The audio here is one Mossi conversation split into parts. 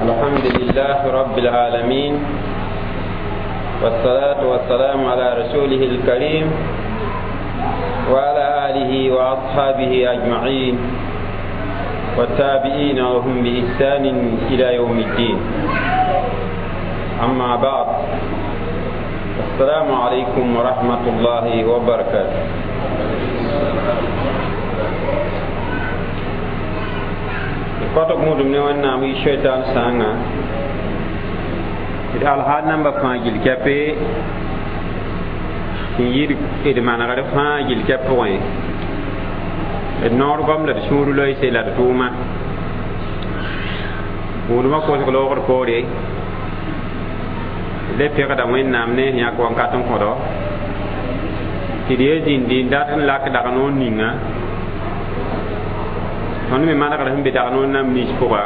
الحمد لله رب العالمين والصلاة والسلام على رسوله الكريم وعلى آله وأصحابه أجمعين والتابعين وهم بإحسان إلى يوم الدين. أما بعد، السلام عليكم ورحمة الله وبركاته. Kɔtg gũudum ne Wẽnnaam yi shaitan sãnga d alhaal namba fãa gill kɛpe sẽn yɩɩd d manegr fãa gill kɛp pʋgẽ d noor goam la d sũur loeese la d tʋʋma gũudmã kosg loogd poore d le pegda Wẽnnaam ne sẽn yãk wakat n kõdo tɩ d ye zĩndi n dat n lak dag noor ninga tõnd me manegr sẽn be dag noor nam nins pʋga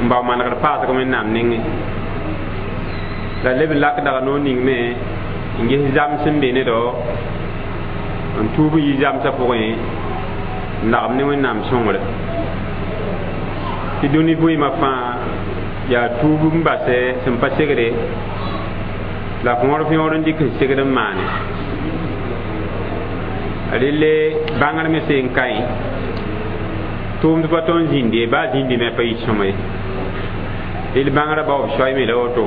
n bao manegr paasg Wẽnnaam nengẽ la leb n lak dag noor ning me n ges zam sẽn be ne dao n tuub n yi zamsã pʋgẽ n lagem ne Wẽnnaam sõngre tɩ dũni vɩɩmã fãa yaa tuub n basɛ sẽn pa segre la võor võor n dɩk n segd n maane relle bãngr me seen kaẽ tʋʋmd pa tõnd zĩndi ye baa zĩndi me pa yit sõma ye rel bãngrã bao b soay me la woto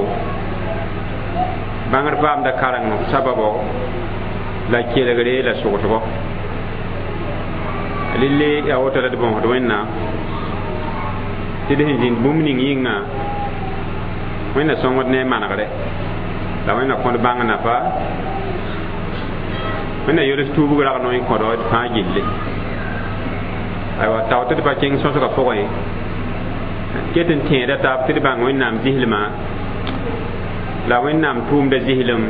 bãngr paamda kareng sababo la kelgre la sogsgo relle yaa woto la d bõosd Wẽnnaam tɩ d sẽn zĩnd bũmb ning yĩnga Wẽnna sõngd ne a manegre la Wẽnna kõd bãng nafa Wẽnna yols tuubg rag noe n kõdo d fãa gilli aywa tao tɩ d pa kẽng sõsgã pʋgẽ ket n tẽeda taab tɩ d bãng Wẽnnaam zĩslmã la Wẽnnaam tʋʋmda zĩslem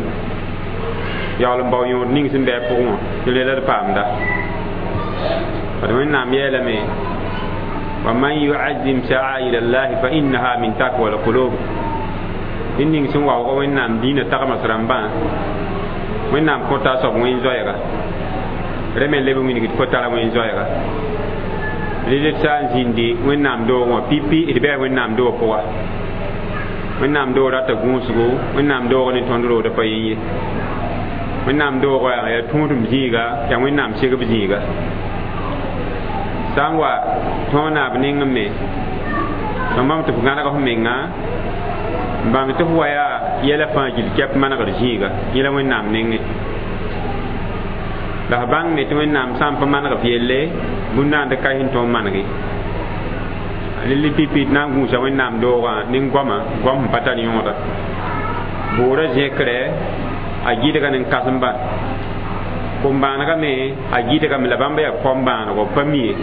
yaool n bao yõod ning sẽn bɩ a pʋgẽ wã tɩ rela d paamda bad Wẽnnaam yeelame wa man yuazim sha'air allahi fa innaha min takwa alqulub ned ning sẽn waoog Wẽnnaam dĩinã tagms rãmbã Wẽnnaam kõta a soab wẽn-zoɛɛga rẽ me leb n wilgd fo tara wẽn-zoɛɛga rel d sã n zĩndi Wẽnnaam doog wã pipi d bɩa Wẽnnaam doog pʋga Wẽnnaam doog rata gũusgo Wẽnnaam doog ne tõnd roodã pa yẽ ye Wẽnnaam doogã yaa tũudem zĩiga yaa Wẽnnaam segb zĩiga sã n wa tõog naab nengẽ me tõnd bãmb tɩ f gãneg f menga n bãng tɩ f wa yaa yɛla fãa gill kɛp manegr zĩiga yẽ la Wẽnnaam nengẽ la f bãng me tɩ Wẽnnaam sã n pa maneg f yelle bũn-dãand ka sẽn tõog n manege rel pipi d na n gũusa Wẽnnaam doogã ne goamã goam sẽn pa tar yõoda boorã zẽkrɛ a gɩdga ne kãsembã kom-bãanegã me a gɩdgame la bãmb yaa kom-bãanego pa mi ye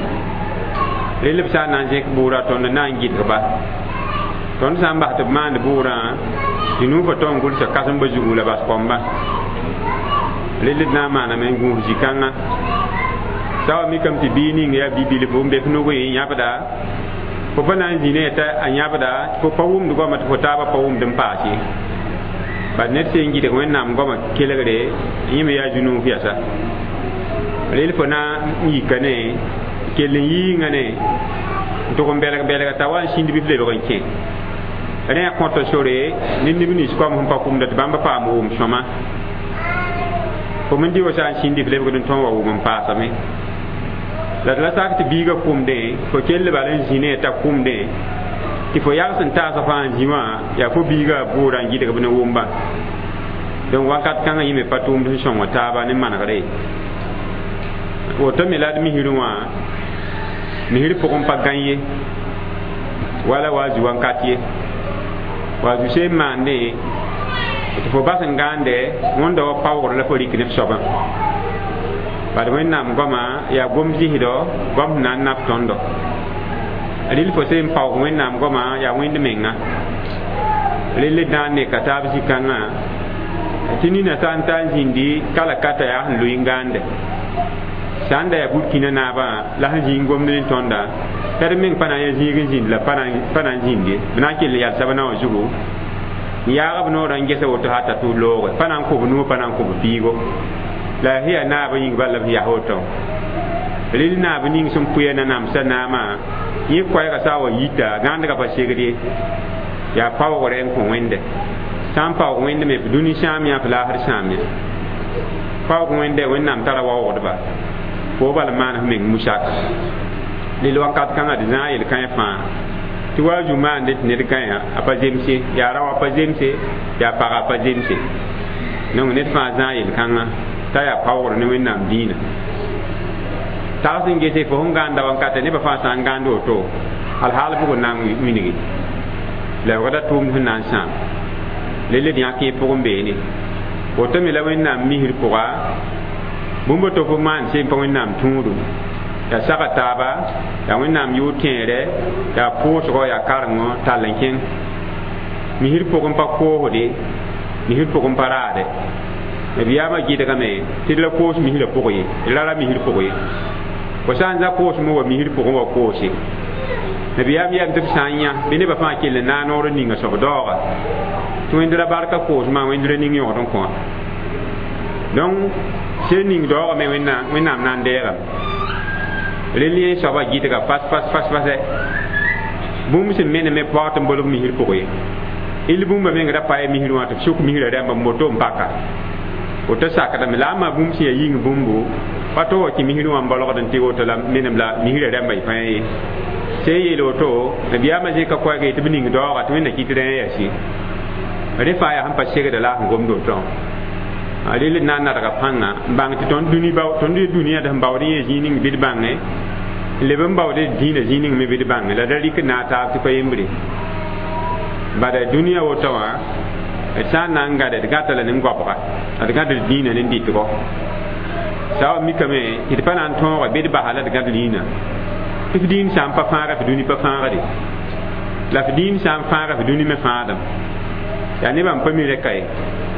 rel b sã n na n zẽk bʋʋrã tõnd n na n gɩdg-ba tõnd sã n bas tɩ b maand bʋʋrã tɩ nuufã tõnd gʋlsa kãsembã zugu la bas kombã rel d na n maaname n gũus zĩ-kãngã sã wa mikame tɩ biig ning yaa bi-bilfu n be f nugẽ yãbda fo pa na n zĩ ne t'a a yãbda fo pa wʋmd goamã tɩ fo taabã pa wʋmd n paas ye bad ned sẽn gɩdg Wẽnnaam goamã kelgre yẽ me yaa zu-nuuf yasa rel fo na n yika ne kell n yiinga ne n tʋg n bɛlg bɛlga t'a wa n sĩnd bɩ f lebg n kẽ rẽ a kõta sore ne neb nins koam sẽn pa kʋmda tɩ bãmb paam wʋm sõma fo me dɩ wa sã n sĩndi f lebgd n tõog wa wʋm n paasame la d la sak tɩ biigã kʋmdẽ fo kell bal n zĩ ne t'a kʋmdẽ tɩ fo yags n taasa fãa n zĩ wã yaa fo biigã bʋʋrã n gɩdg b ne wʋmba donc wakat kãngã yẽ me pa tʋʋmd sẽn sõng taaba ne manegre woto me la d misrẽ wã misr pʋgẽ pa gãn ye wala wa zu wakat ye wa zu seen maandẽ tɩ fo bas n gãande wẽnda wa paoogr la fo rɩk ne f soabã bad Wẽnnaam goamã yaa gom zĩsdɔ goam sẽn na n naf tõndo rel fo seen paoog Wẽnnaam goamã yaa wẽnd menga rel d na n neka taab zĩ-kãngã tɩ nina sã n ta n zĩndi kala ka t'a yaa sẽn loe n gãande sã n da yaa Burkina naabã la sẽn zĩig gomd ne tõnda t'a d meng pa na n yaa zĩig n zĩnd la pa na n zĩnd ye b na n kell yalsa b naowã zugu n yaag b noorã n gesa woto hata tɩ b looge pa na n kõ b nuo pa na n kõ b piigo la sẽn yaa naab yĩng bal la b yaa woto rel naab ning sẽn pʋya nanamsã naamã yẽ koɛɛgã sã n wa yita gãandgã pa segd ye Yaa paoogre n kõ wẽnde sã n paoog wẽnd me f dũni sãam yã f laasr sãam yã paoog wẽnde wẽnnaam tara waoogdba fo bal n maan f meng musak lel wakat kãngã d zãag yel-kãe fãa tɩ wa zu maande tɩ ned gãyã a pa zemse yaa rao a pa zemse yaa paga a pa zemse donc ned fãa zãag yel-kãngã t'a yaa paoogr ne wẽnnaam dĩinã tags n gese fo sẽn gãanda wankate nebã fãa sã n gãnd woto alhaal bʋg n na n wilgi lebgda tʋʋmd sẽn na n sãam lelle d yãk yẽ pʋgẽ beene woto me la wẽnnaam misr pʋga bũmb to fo maan seen pa wẽnnaam tũudum yaa saga taaba yaa wẽnnaam yʋʋr tẽere yaa pʋʋsgɔ yaa karengo tall n kẽng misr pʋgẽ pa koosde misr pʋgẽ pa raade nabiyaamã gɩdgame tɩ d ra koos misrã pʋg ye d ra ra misr pʋg ye fo sã n za koosmẽ wa misr pʋgẽ wa koose nabiyaam yam tɩ b sã n yã bɩ nebã fãa kell n naag noor n ninga soab daooga tɩ wẽnd ra barka koosmã wẽnd ra ning yõgd n kõ donc sel ning daoogame wẽnnaam na n deegame rel yẽ soabã gɩdga fas fas fas fasɛ bũmb sẽn meneme paoog tɩ n bolg misr pʋg ye il bũmba meng ra pa misr wã tɩ b sʋk misrã rãmba n boto n paka woto sakdame la a ma bũmb sẽn yaa yĩng bũmbo pa to wa kẽ misr wã n bolgd n tɩ woto la menem la misrã rãmba y fãa ye sẽn yeel woto nabiyaamã zẽka koɛɛg tɩ b ning daooga tɩ wẽnna kɩt rẽ yɛsi rẽ fãa yaa sẽn pa segda la a sẽn gomd woto a rel n na n nadga pãnga n bãng tɩ tõnd dũni tõnd dũniyã d sẽn baood yẽ zĩig ning bɩ d bãnge n leb n baood dĩinã zĩig ning me bɩ d bãnge la da rɩk n naag taab tɩ pa yembre bada dũniyã woto wã d sã n na n gãd d gãta la nin-goabga d gãd d dĩinã ne dɩtgɔ sã wa mikame tɩ d pa na n tõoga bɩ d basa la d gãd rĩinã tɩ f dĩin sã n pa fãaga f dũni pa fãagde la f dĩin sã n fãaga f dũni me fãadem yaa nebã n pa mi rɛka ye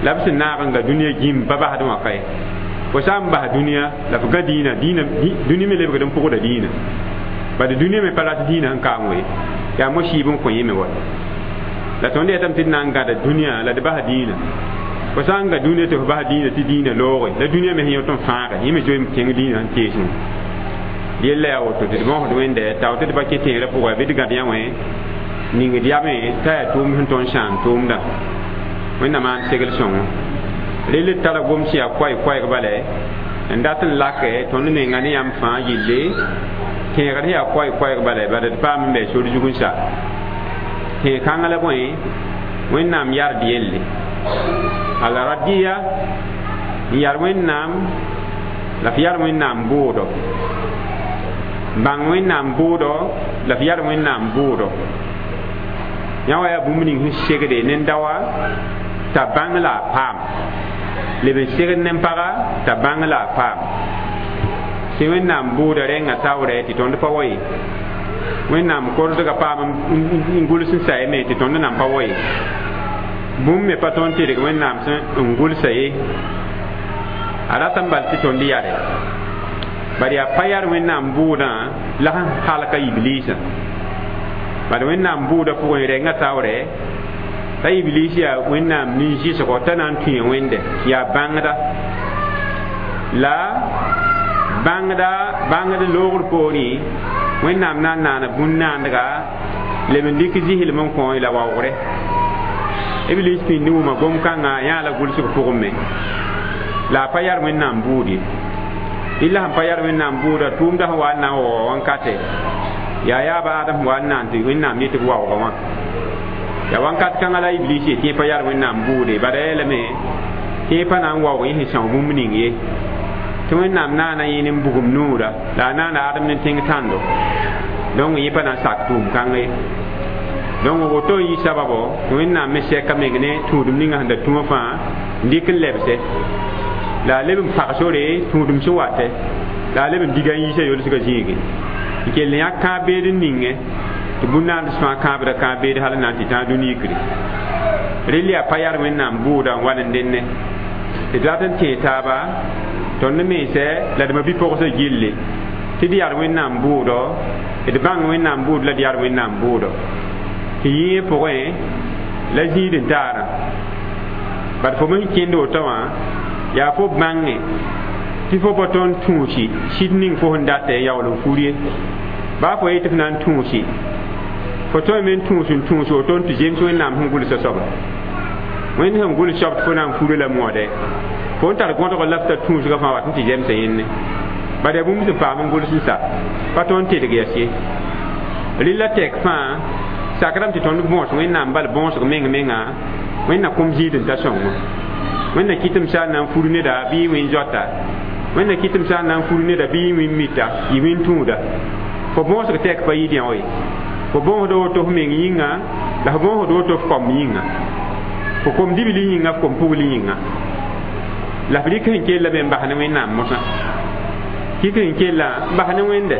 la b sẽn naag n ga dũniyã gĩm pa basd wã ka ye fo sã n bas dũniyã la f ga dĩinã dũni me lebgd n pʋgda dĩinã bad dũniyã me pa rat dĩinã sẽn kaam we yaa mo-sɩɩb n kõ yẽ me wa la tõnd yetame tɩ d na n gãda dũniyã la d bas dĩinã fo sã n ga dũniyã tɩ f bas dĩinã tɩ dĩinã looge la dũniyã me sẽn yõt n fãage yẽ me zoe kẽng dĩinã sẽn teesẽ yella yaa woto tɩ d bõsd wẽnde tao tɩ d pa kẽ tẽerã pʋgã bɩ d gãd yã wẽ ningd yame t'a yaa tʋʋmd sẽn tõnd sãam tʋʋmdã wẽnnaam maan segl sõngo rel d tara gom sẽn yaa koɛɛ-koɛɛg bala n dat n lake tõnd menga ne yãmb fãa yille tẽegr sẽn yaa koɛɛ-koɛɛg bala bala d paam n bɛ sor zug n sa tẽeg-kãngã la bõe wẽnnaam yard yelle al-radiya n yar wẽnnaam la f yar wẽnnaam bʋʋdo bãng wẽnnaam bʋʋdo la f yar wẽnnaam bʋʋdo yã wa yaa bũmb ning sẽn segde nen-daoa t'a bãng la a paam leb n segd nen-paga t'a bãng la a paam tɩ wẽnnaam bʋʋda rẽngã taoorɛ tɩ tõnd pa wa ye wẽnnaam kordgã paam n gʋls n sa ye me tɩ tõnd nan pa wa ye bũmb me pa tõnd tɩrg wẽnnaam sẽn n gʋlsa ye a rat n bal tɩ tõnd yare bad yaa pa yar wẽnnaam bʋʋdã la sẽn halka ibliisã bad wẽnnaam bʋʋdã pʋgẽ rẽngã taoorɛ t'a iblis yaa wẽnnaam nin-zɩsgɔ t'a na n tũe wẽnde yaa bãngda la bãngda bãngd loogr poorẽ wẽnnaam na n naana bũn-naandga leb n dɩk zɩslem n kõ la waoogre iblis pĩnd wʋma gom-kãngã yãa la gʋlsg pʋgẽ me la a pa yar wẽnnaam bʋʋd ye illa sẽn pa yar wẽnnaam bʋʋda tʋʋmda sẽn wa n na n waoog wãnkate yaa yaaba Adam sẽn wa n naan tɩ wẽnnaam yetɩ b waooga wã yaa wãnkat kãngã la iblis ye tɩ yẽ pa yar wẽnnaam bʋʋde bala yeelame tɩ yẽ pa na n waoog yẽ sẽn são bũmb ning ye tɩ wẽnnaam naana yẽ ne bugum noora la a naana Adem ne tẽng tãndo donc yẽ pa na n sak tʋʋm kãng ye donc woto n yɩ sababo tɩ wẽnnaam me sɛka meng ne tũudum ninga sẽn da tũwã fãa n dɩk n lebse la a leb n pag sore tũudum sẽn watɛ la a leb n diga n yiisa yolsgã zĩige n kell n yã kãab-beed n ningẽ tɩ bũn-naands fãa kãabda kãab-beed hal n na n tɩ tãag dũni-yikre rel yaa pa yar wẽnnaam bʋʋda n wa n denne tɩ d rat n tẽe taaba tõnd mensɛ la d ma-bi-pogsã gilli tɩ d yar wẽnnaam bʋʋdɔ d bãng wẽnnaam bʋʋd la d yar wẽnnaam bʋʋdɔ tɩ yĩe pʋgẽ la zĩid n taarã bad fo me sẽn kẽnd woto wã yaa fo bãnge tɩ fo pa tõnd tũusi sɩd ning fo sẽn datɛ n yaool n fur ye baa fo yetɩ f na n tũusi Fo tõe me n tũus n tũus woto n tɩ zems Wẽnnaam sẽn gʋlsã soaba. Wẽnd sẽn gʋls soab tɩ fo na n fura la moode. Fo n tar gõdg la f ta tũusgã fãa wat n tɩ zemsa yẽnne. Bala yaa bũmb sẽn paam n gʋls n sa pa tõnd n tedg yas ye. Rɩla tɛk fãa sakrame tɩ tõnd bõos Wẽnnaam bal bõosg meng menga Wẽnna kũm zĩid n ta sõngo. Wẽnna kɩtem sã n na n fur neda bɩ y wẽn zoata. Wẽnna kɩtem sã n na n fur neda bɩ y wẽn mita, y wẽn tũuda. Fo bõosg tɛk pa yɩ dẽo ye. Fo bõosd woto f meng yĩnga la fo bõosd woto f kom yĩnga. Fo kom dibli yĩnga, f kom pugl yĩnga. La f rɩk sẽn kell me n bas ne Wẽnnaam mosã. Kɩk sẽn kella n bas ne Wẽnde.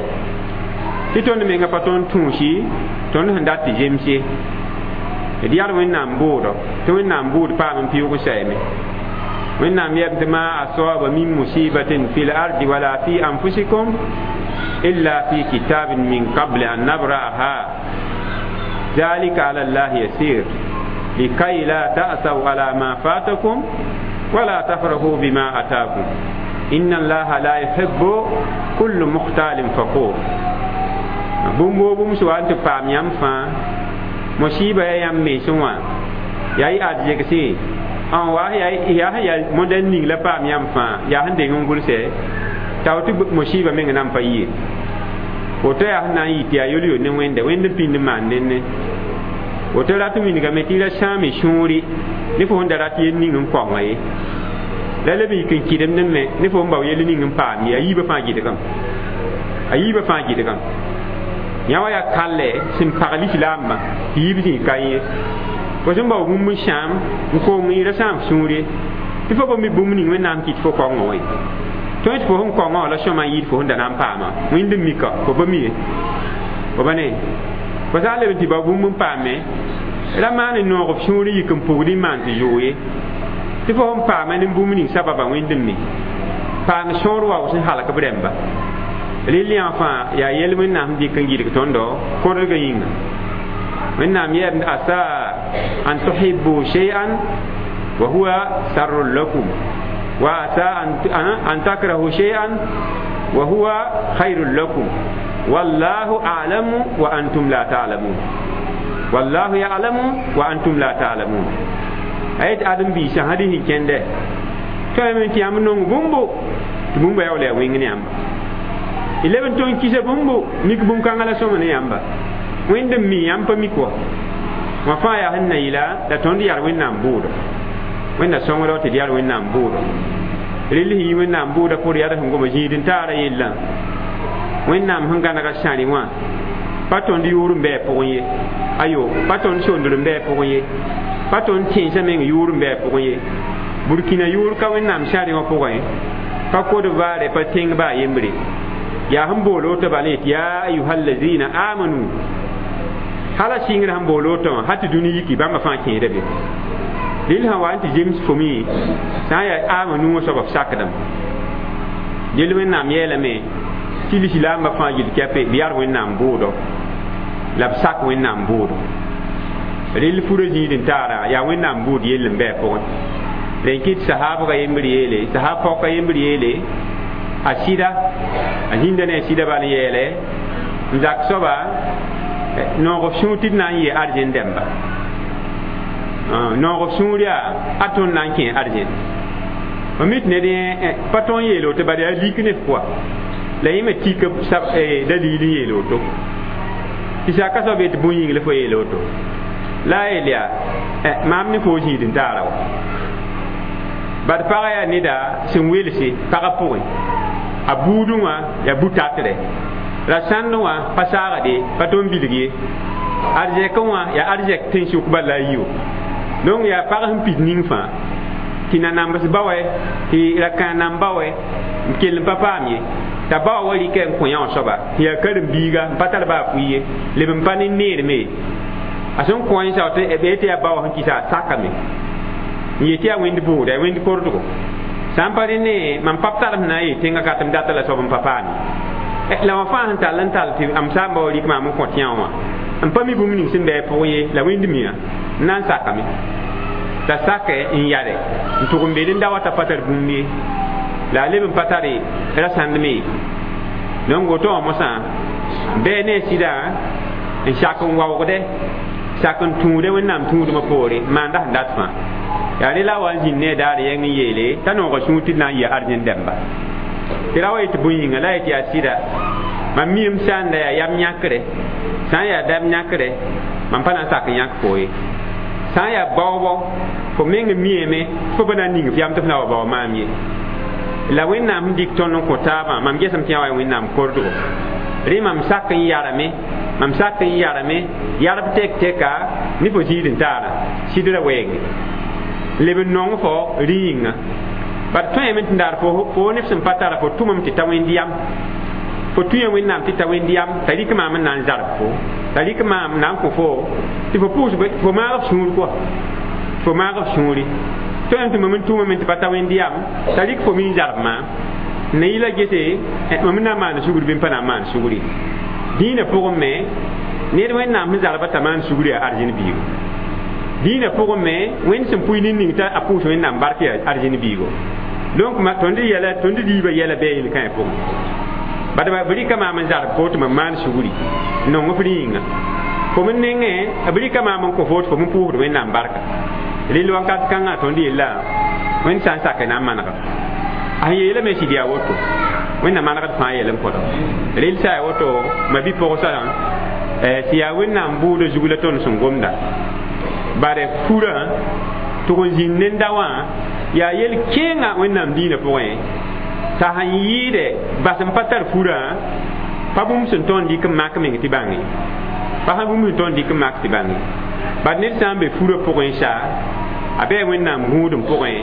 Tɩ tõnd menga pa tõnd tũusi, tõnd sẽn dat tɩ zems ye. D yaa Wẽnnaam bʋʋdɔ, tɩ Wẽnnaam bʋʋd paam n pɩʋʋg n sayame. Wẽnnaam yɛm tɩ ma asaba min musibatin fil ardi wala fi anfusikum illa fi kitabin min qabli an nabra'aha ذلك على الله يسير لكي لا تأسوا على ما فاتكم ولا تفرحوا بما أتاكم إن الله لا يحب كل مختال فخور. Bũmb bũmb sã wa n tɩ paam yãmb fãa musiba yaa yãmb mensẽ wã yaa y arzegse n wa yaa sẽn yaa modɛl ning la paam yãmb fãa yaa sẽn deng n gʋlsɛ tao tɩ musiba meng na n pa yie. Woto yaa sẽn na n yɩ tɩ yaa yol-yol ne Wẽnda, Wẽnd n pĩnd n maan nenne. Woto rat n wilgame tɩ y ra sãame sũuri ne fo sẽn da rat yell ning n kaongã ye. La leb n yik n kɩdemdẽ me ne fo sẽn bao yell ning n paam ye, a yiibã fãa gɩdgame. A yiibã fãa gɩdgame. Yã wã yaa kallɛ sẽn pag lislaambã tɩ yiib zĩ ka ye. Fo sẽn bao bũmb n sãam n kong y ra sãam sũur ye. Tɩ fo pa mi bũmb ning Wẽnnaam kɩt fo kaongã wã ye. Tõe tɩ fo sẽn kaongã wã la sõma n yɩɩd fo sẽn da na n paamã. Wẽnd n mika, fo pa mi ye. Fo pa ne. Fo sã n leb n tɩ bao bũmb n paame, ra maan n noog f sũur n yik n pugd n maan tɩ zʋʋg ye. Tɩ fo sẽn paama ne bũmb ning sababa Wẽnd n mi. Paam sõor wa sẽn halk b rẽmba. Rɩl yã fãa yaa yel Wẽnnaam sẽn dɩk n gɩdg tõndo kõdgã yĩnga. Wẽnnaam yɛɛm asa an tuhibbu shay'an wa huwa sarrun lakum wa asa an takrahu shay'an wa huwa khayrun lakum wallahu a'lamu wa antum la ta'lamun. Wallahu ya'lamu wa antum la ta'lamun. Ayet adam biisã sã rɩs n kẽndɛ tõeme tɩ yãmb nong bũmbo tɩ bũmba yaa wala yaa wẽng ne yãmba. Y leb n tõe n kisa bũmbo mik bũn-kãngã la sõma ne yãmba. Wẽnd n mi yãmb pa mik wa. Wã fãa yaa sẽn na yɩla la tõnd yaa Wẽnnaam bʋʋdɔ. Wẽnna sõngdɔ tɩ d yaa Wẽnnaam bʋʋdɔ. Rɩl sẽn yi Wẽnnaam bʋʋdã pʋgr yaa sẽn goma zĩig n taara yellã. Wẽnnaam sẽn gãnega sãrẽ wã pa tõnd yʋʋr n bɩ a pʋgẽ ye. Ayo, pa tõnd sondr n bɩ a pʋgẽ ye. Pa tõnd tẽnsã meng yʋʋr n bɩ a pʋgẽ ye. Burkina yʋʋr ka Wẽnnaam sãrẽ wã pʋgẽ, pa kod vaare pa tẽng baa yembre. Yaa sẽn bool woto bala yetɩ yaa ayuhallazina amanu. Hala sɩngrã sẽn bool woto wã hal tɩ dũni yiki bãmba fãa kẽeda be. Rɩl sã wa n tɩ zems fo me sã n yaa amanu wã soaba f sakdame. Del Wẽnnaam yeelame tɩ lislaambã fãa yel kɛpe b yaa Wẽnnaam bʋʋdɔ la b sak Wẽnnaam bʋʋdɔ. Rɩl furã zĩig n taara yaa Wẽnnaam bʋʋd yell n bɩ a pʋgẽ. Rẽn kɩt sahaabga yembr yeele, sahaab paoka yembr yeele, a sɩda, a zĩnda ne a sɩda bal n yeele, n zak soaba noog f sũur tɩ d na n yɩ arzẽn dɛmba. Noog f sũur yaa a tõnd na n kẽ arzẽn. F mi tɩ ned pa tõe n yeel woto bala yaa lik ne f pʋga. La yẽ me tik dalil n yeel woto. Tɩ saka soab yetɩ bũn yĩng la fo yeel woto. La a yeel yaa maam ne fo zĩig n taara wa. Bad pagã yaa neda sẽn welse pagã pʋgẽ. A buudẽ wã yaa bu-tatrɛ. Ra sãndẽ wã pa saagde, pa tõe n bilg ye. Arzɛkẽ wã yaa arzɛk tẽn-sʋk bala la a yi-wã. Donc yaa pag sẽn pid ning fãa tɩ nanambs ba wɛ, tɩ rakãa namba wɛ, n kell n pa paam ye. T'a ba wa rɩkɛ n kõ yã wã soaba tɩ yaa karen-biiga n pa tar baa fʋɩ ye, leb n pa ne neerme ye. A sẽn kõ yẽ sao tɩ b tɩ yaa ba wã sẽn kɩsa a sakame. N yetɩ yaa Wẽnd bʋʋda, yaa Wẽnd kordgo. Sã n pa rẽ ne mam pa b tar sẽn na n yee tẽngã ka tɩ m data la soab n pa paam ye. La wã fãa sẽn tall n tall tɩ m saamba wa rɩk maam n kõt yã wã. N pa mi bũmb ning sẽn bɩ a pʋgẽ ye, la Wẽnd miã n na n sakame. T'a sakɛ n yare n tʋg n be n da wa t'a pa tar bũmb ye. La a leb n pa tare ra sãndme ye. Donc woto wã mosã bɩ ne sɩda n sak n waoogdɛ sak n tũude wẽnnaam tũudmã poore n maanda sẽn dat fãa yaa rẽ la a wa n zĩnd ne a daar yɛng n yeele t'a nooga sũur tɩ d na n yɩ arzẽn dɛmba tɩ ra wa yetɩ bõe yĩnga la yetɩ yaa sɩda mam miime sã n da yaa yam yãkre sã n yaa dam yãkre mam pa na n sak n yãk fo ye sã n yaa baoobɔ fo meng miame tɩ fo pa na n ning f yam tɩ f na wa bao maam ye la wẽnnaam sẽn dɩk tõnd n kõ taabã mam gesem tɩ yã wa wẽnnaam kordgo rẽ mam sak n yarame mam sak n yarame yarb tek teka ne fo zĩig n taara sɩdra wɛɛnge leb n nong fo rẽ yĩnga bad tõeme tɩ daar fo neb sẽn pa tara fo tʋmame tɩ ta wẽnd yam fo tũya wẽnnaam tɩ ta wẽnd yam t'a rɩk maam n na n zarb fo t'a rɩk maam na n kõ fo tɩ fo pʋʋs fo maag f sũur kɔa fo maag f sũuri tõem tɩ mam n tʋmame tɩ pa ta wẽnd yam t'a rɩk fo mi n zarb maam ne yɩla gese mam n na n maan sugr bɩ n pa na n maan sugri dĩinã pʋgẽ me ned wẽnnaam sẽn zarba t'a maan sugri yaa arzẽn biigo dĩinã pʋgẽ me wẽnd sẽn pʋɩ nin-ning t'a a pʋʋs wẽnnaam bark yaa arzẽn biigo donc tõnd yɛla tõnd riibã yɛla bɩ a yel-kãe pʋgẽ bad b rɩka maam n zarb fo tɩ mam maan sugri n nong f rẽ yĩnga fo m nengẽ b rɩka maam n kõ fo tɩ fo m pʋʋsd wẽnnaam barka rel wakat kãngã tõnd yella wẽnd sã n sak na n manega a sẽn yeelame sɩd yaa woto wẽnnaam manegd fãa yɛl n kõdo rel sã yaa woto ma bi-pʋgsã tɩ yaa wẽnnaam bʋʋda zug la tõnd sẽn gomda bare furã tʋg n zĩnd nenda wã yaa yel-kẽengã wẽnnaam dĩinã pʋgẽ t'a sẽn yɩɩdɛ bas n pa tar furã pa bũmb sẽn tõnd dɩk n mak meng tɩ bãnge pa sã bũmb sẽn tõnd dɩk n mak tɩ bãnge bad ned sã n be furã pʋgẽ sa a bɩ wẽnnaam gũudum pʋgẽ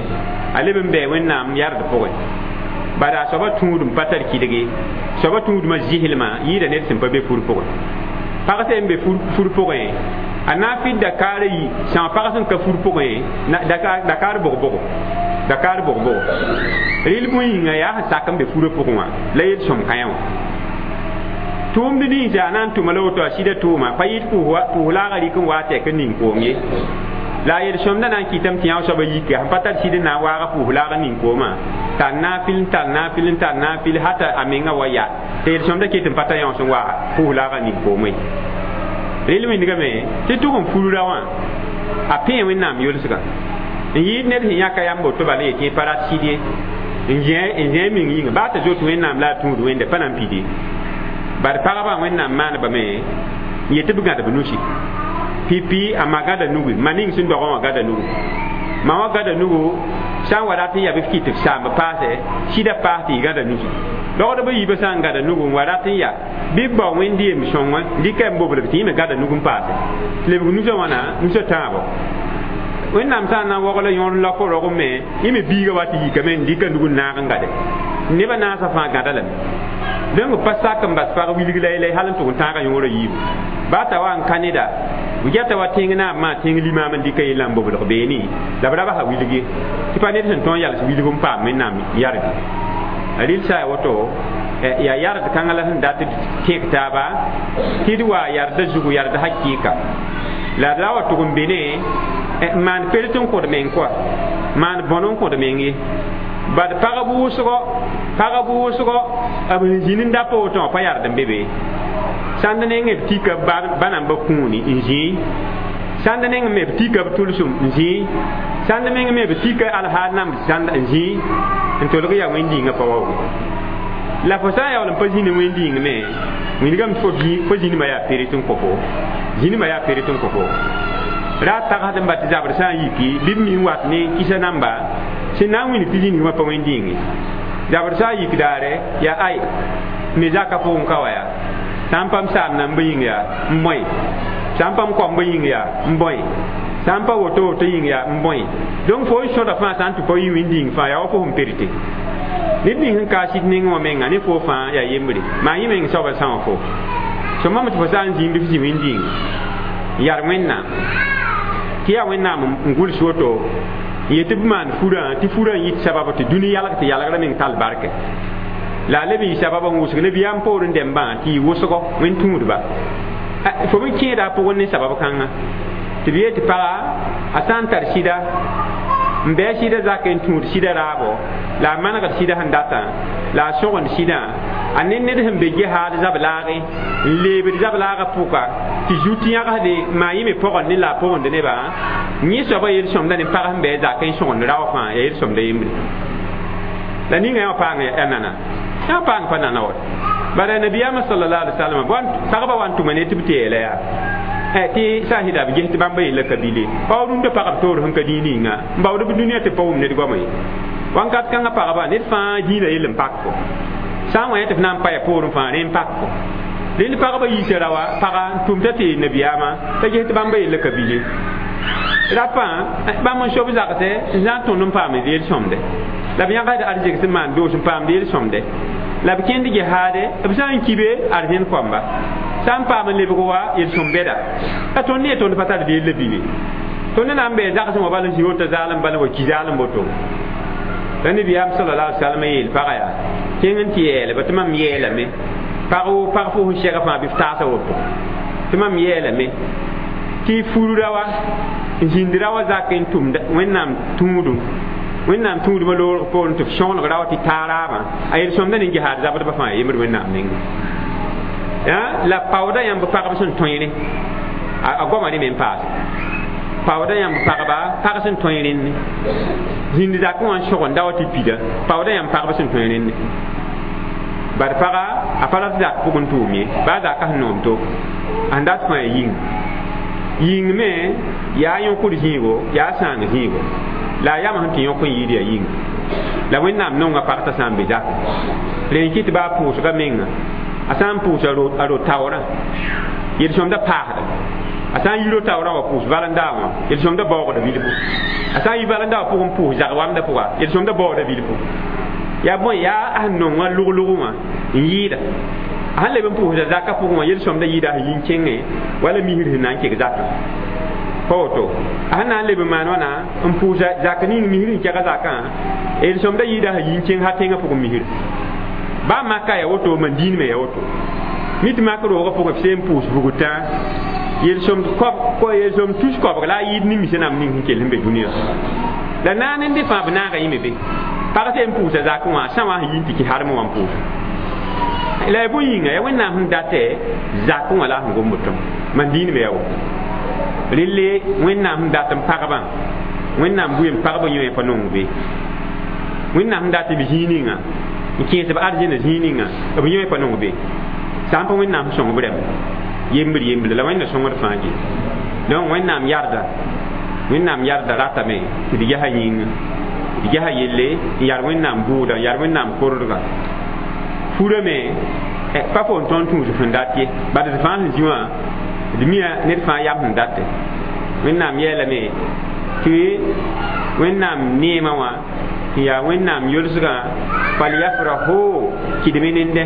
a leb n bɩ wẽnnaam yard pʋgẽ bad a soaba tũudum pa tar kɩdge soaba tũudmã zɩslmã yɩɩda ned sẽn pa be fur pʋgẽ pag sẽn be fur pʋgẽ a na n fɩd dakaar yi sã pag sẽn ka fur pʋgẽ dakaar bʋg-bʋgo dakaar bʋg-bʋgo rɩl bũn yĩnga yaa sẽn sak n be furã pʋgẽ wã la yel-sõm kãe wã tʋʋmd ninsa a na n tʋma la woto a sɩda tʋʋma pa yɩɩd pʋʋs laaga rɩk n waa tɛk n ning koom ye la a yel-sõmda na n kɩtame tɩ yã soaba yike sẽn pa tar sɩd n na n waaga pʋʋs laag n ning koomã tar naafɩl n tar naafɩl n tar naafɩl hata a menga wa ya tɩ yel-sõmda ket n pa ta yãos n waa pʋʋs laaga ning koomã ye rel wĩndgame tɩ tʋg n furra wã a pẽe wẽnnaam yolsga n yɩɩd ned sẽn yãka yam boto bala yetɩ pa rat sɩd ye n zẽ meng yĩnga baa t'a zoet wẽnnaam la a tũud wẽnde pa na n pid ye bad pagba wẽnnaam maanebame n yetɩ b gãdb nusi pipi a ma gãda nugu ma ning sẽn dogã wã gãda nugu ma wã gãda nugu sã n wa rat n yaa bɩ f kɩt f saamb paase sɩda paas tɩ y gãda nusi logdb a yiibã sã n gãda nugu n wa rat n yaa bɩ b bao wẽnd yem sõngã dɩka n bobl tɩ yẽ me gãda nug n paase lebg nusã wãna nusã tãabo wẽnnaam sã n na n waogl yõor la fo rog me yẽ me biiga wa tɩ yikame n dɩka nug n naag n gade nebã naasã fãa gãda lame donc pa sak n bas pag wilg la yɛla hal n tʋg n tãaga yõorã yiibu baa t'a wa n ka neda b gɛta wa tẽng naab maa tẽng limaam n dɩka yella n boblg beene la b ra basa wilg ye tɩ pa ned sẽn tõog n yals wilg n paam wẽnnaam yarde rɩl sã ya woto yaa yard kãngã la sẽn dat tẽk taaba tɩ d wa yarda zugu yarda hakɩɩka la d ra wa tʋg n be ne n maan pert n kõd meng kɔa maan bõn n kõd meng ye bad pagb wʋsgɔ b sẽn zĩnd n da pa woto wã pa yard n be be sãnd nengẽ b tika ba namba kũuni n zĩi sãnd neng me b tika b tʋlsem n zĩi sãnd meng me b tika alhaal namb sãnd n zĩi n tolg yaa wẽnd-yĩngã pa waooge la fo sã n yaool n pa zĩnd wẽnd-yĩng me wĩndgame tɩ fo zĩnimã yaa peret n kõ fo zĩnimã yaa peret n kõ fo ra tagsd n ba tɩ zabr sã n yiki bɩ b mi n wat ne kisa namba sẽn na n wĩnd tɩ zĩnigmã pa wẽnd-yĩnge zabr sã n yik daare yaa ay me zaka pʋgẽ ka wa yaa sã n pam saam nambã yĩng yaa n bõe sã n pam koambã yĩng yaa n bõe sã n pa woto woto yĩng yaa n bõe donc fo n sõda fãa sã n tɩ pa yɩ wẽnd-yĩng fãa yaa wa fo sẽn perete ned ning sẽn ka sɩd nengẽ wã menga ne fo fãa yaa yembre maa yẽ meng soaba sã wã fo sõmame tɩ fo sã n zĩnd f zĩ wẽnd-yĩng yar wẽnnaam tɩ yaa wẽnnaam n gʋls woto n yetɩ b maan furã tɩ furã n yɩt sabab tɩ dũni yalg tɩ yalgrã meng tall barke la a leb n yɩ sabab n wʋsg nabiyaam poorẽ dẽmbã tɩ yɩ wʋsgo wẽnd tũudba fo me kẽeda a pʋgẽ ne sabab kãnga tɩ b yeel tɩ paga a sã n tar sɩda n bɩ a sɩda zak n tũud sɩda raabo la a manegd sɩda sẽn datã la a sõgend sɩdã A ne ned sẽn be jihaad zab-laage n leebd zab-laagã pʋka tɩ zut yãgsde maa yẽ me pɔgend ne la a pʋgend nebã yẽ soabã yel-sõmda ne pag sẽn bɩ a zak n sõgend rao fãa yaa yel-sõmda yembre la ninga yã paang ya nana yã paang pa nana wa bara nabiyaamã sallallahu alaihi wasallam pagba wa n tʋma ne tɩ b tɩ yeela yaa tɩ sã n sɩda b ges tɩ bãmba yella ka bile paood rũndã pagb toor sẽn ka dĩig ninga n baood b dũniyã tɩ pa wʋm ned goama ye wãnkat kãngã pagba ned fãa dĩinã yell n pak fo sã n wa yẽ tɩ f na n pa ya poorẽ fãa rẽ n pak fo rẽnd pagba yiisa raoã paga n tʋmta tɩ nabiyaamã t'a ges tɩ bãmba yella ka bile rapã bãmb n sob zagsɛ n zã n tõnd n paam d yel-sõmde la b yãgsd arzeg sẽn maan doos n paamd yel-sõmde la b kẽnd gehaade b sã n kibe arzẽn koamba sã n paam n lebg wa yel-sõm bɛda la tõnd ne tõnd pa tar d yella bile tõnd na n bɩ zagsẽ wã bal n zĩ woto zaalem bal wa ki zaalem woto la nabiyaam sallallahu alaihi wasallam yeel pagã yaa kẽng n tɩ yeelba tɩ mam yeelame pag woo pag fo sẽn sɛga fãa bɩ f taasa woto tɩ mam yeelame tɩ furda wa n zĩnd ra wa zak n tʋmda wẽnnaam tũudum wẽnnaam tũudmã loorg poorẽ tɩ f sõgeneg ra wa tɩ taa raabã a yel-sõmda ne gehaad zabdbã fãa yembd wẽnnaam nengẽ la paooda yãmb pagb sẽn tõe rẽ a goama rẽ me n paase paooda yãmb pagba pag sẽn tõe rẽnne zĩnd zakẽ wã n sõgenda wa tɩ pida paooda yãmb pagb sẽn tõe rẽnne bad paga a pa rat zak pʋgẽ tʋʋm ye baa zakã sẽn noom to a sẽn dat fãa yĩng yĩng me yaa yõkd zĩigo yaa sãang zĩigo la a yam sẽn tɩ yõk n yɩɩd yaa yĩng la wẽnnaam nonga pag t'a sã n be zakẽ rẽ n kɩt baa pʋʋsga menga a sã n pʋʋs a ro-taoorã yel-sõmda paasda a sã n yi ro-taoorã wa pʋʋs valẽndaa wã yel-sõmda baoogda bilfu a sã n yi valẽndaa wã pʋgẽ pʋʋs zag-wamdã pʋga yel-sõmda baoogda bilfu yaa bõe yaa a sẽn nongã lʋglʋg wã n yɩɩda a sẽn leb n pʋʋsda zakã pʋgẽ wã yel-sõmda yɩɩda a sẽn yi n kẽngẽ wala misr sẽn na n keg zakã pa woto a sẽn na n leb n maan wãna n pʋʋsa zak ning misr n kɛga zakã yel-sõmda yɩɩda a sẽn yi n kẽng ha tẽngã pʋgẽ misr baa maka yaa woto man diin me yaa woto mi tɩ mak roogã pʋgẽ f seen pʋʋs bugtã yel-sõm tus koabg la a yɩɩd ne misa nam ning sẽn kell sẽn be dũniyã la naan n dɩ fãa b naaga yẽme be pag seen pʋʋsa zakẽ wã sã wã sẽn yi n tɩ kɩ harmẽ wã n pʋʋs la ya bõe yĩnga yaa wẽnnaam sẽn datɛ zakẽ wã la a sẽn gomd tõm man diin me yaa woto relle wẽnnaam sẽn dat n pagbã wẽnnaam bʋ n pagb yõ pa nong be wẽnnaam sẽn dat b zĩig ninga n kẽes b arzẽna zĩig ninga b yõ pa nong be sã n pa wẽnnaam sẽn sõng b rãmb yembr yembre la wẽnna sõngd fãa ge donc wẽnnaam yarda ratame tɩ d ges a yĩnga d ges a yelle n yar wẽnnaam bʋʋda n yar wẽnnaam kordga furame pa fo n tõnd tũus sẽn dat ye bad d fãa sẽn zĩ wã d mia ned fãa yam sẽn date wẽnnaam yeelame tɩ wẽnnaam neemã wã tɩ yaa wẽnnaam yolsgã falyafrahu kɩdme nende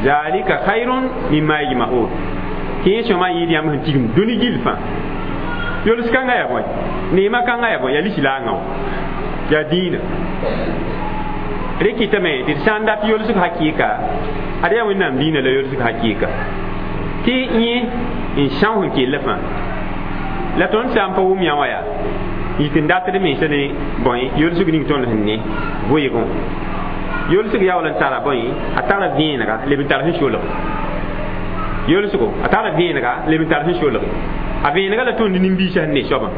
zalika khayrun mimma yajma'un tɩ yẽ sõma yɩɩd yãmb sẽn tigim dũni gill fãa yols kãngã yaa bõe neemã kãngã yaa bõe yaa lislaangã wã yaa dĩinã rẽ kɩtame tɩ d sã n dat yolsg hakɩɩka ad yaa wẽnnaam dĩinã la yolsg hakɩɩka tɩ yẽ n são sẽn kell fãa la tõnd sã n pa wʋm yã wã yaa yik n datd mensã ne bõe yolsg ning tõnd sẽn ne vʋɩgẽ yolsg yaool n tara bõe a tara vẽenega leb n tar sẽn solg yolsgo a tara vẽenega leb n tar sẽn solge a vẽenega la tõnd nin-biisã sẽn ne soabã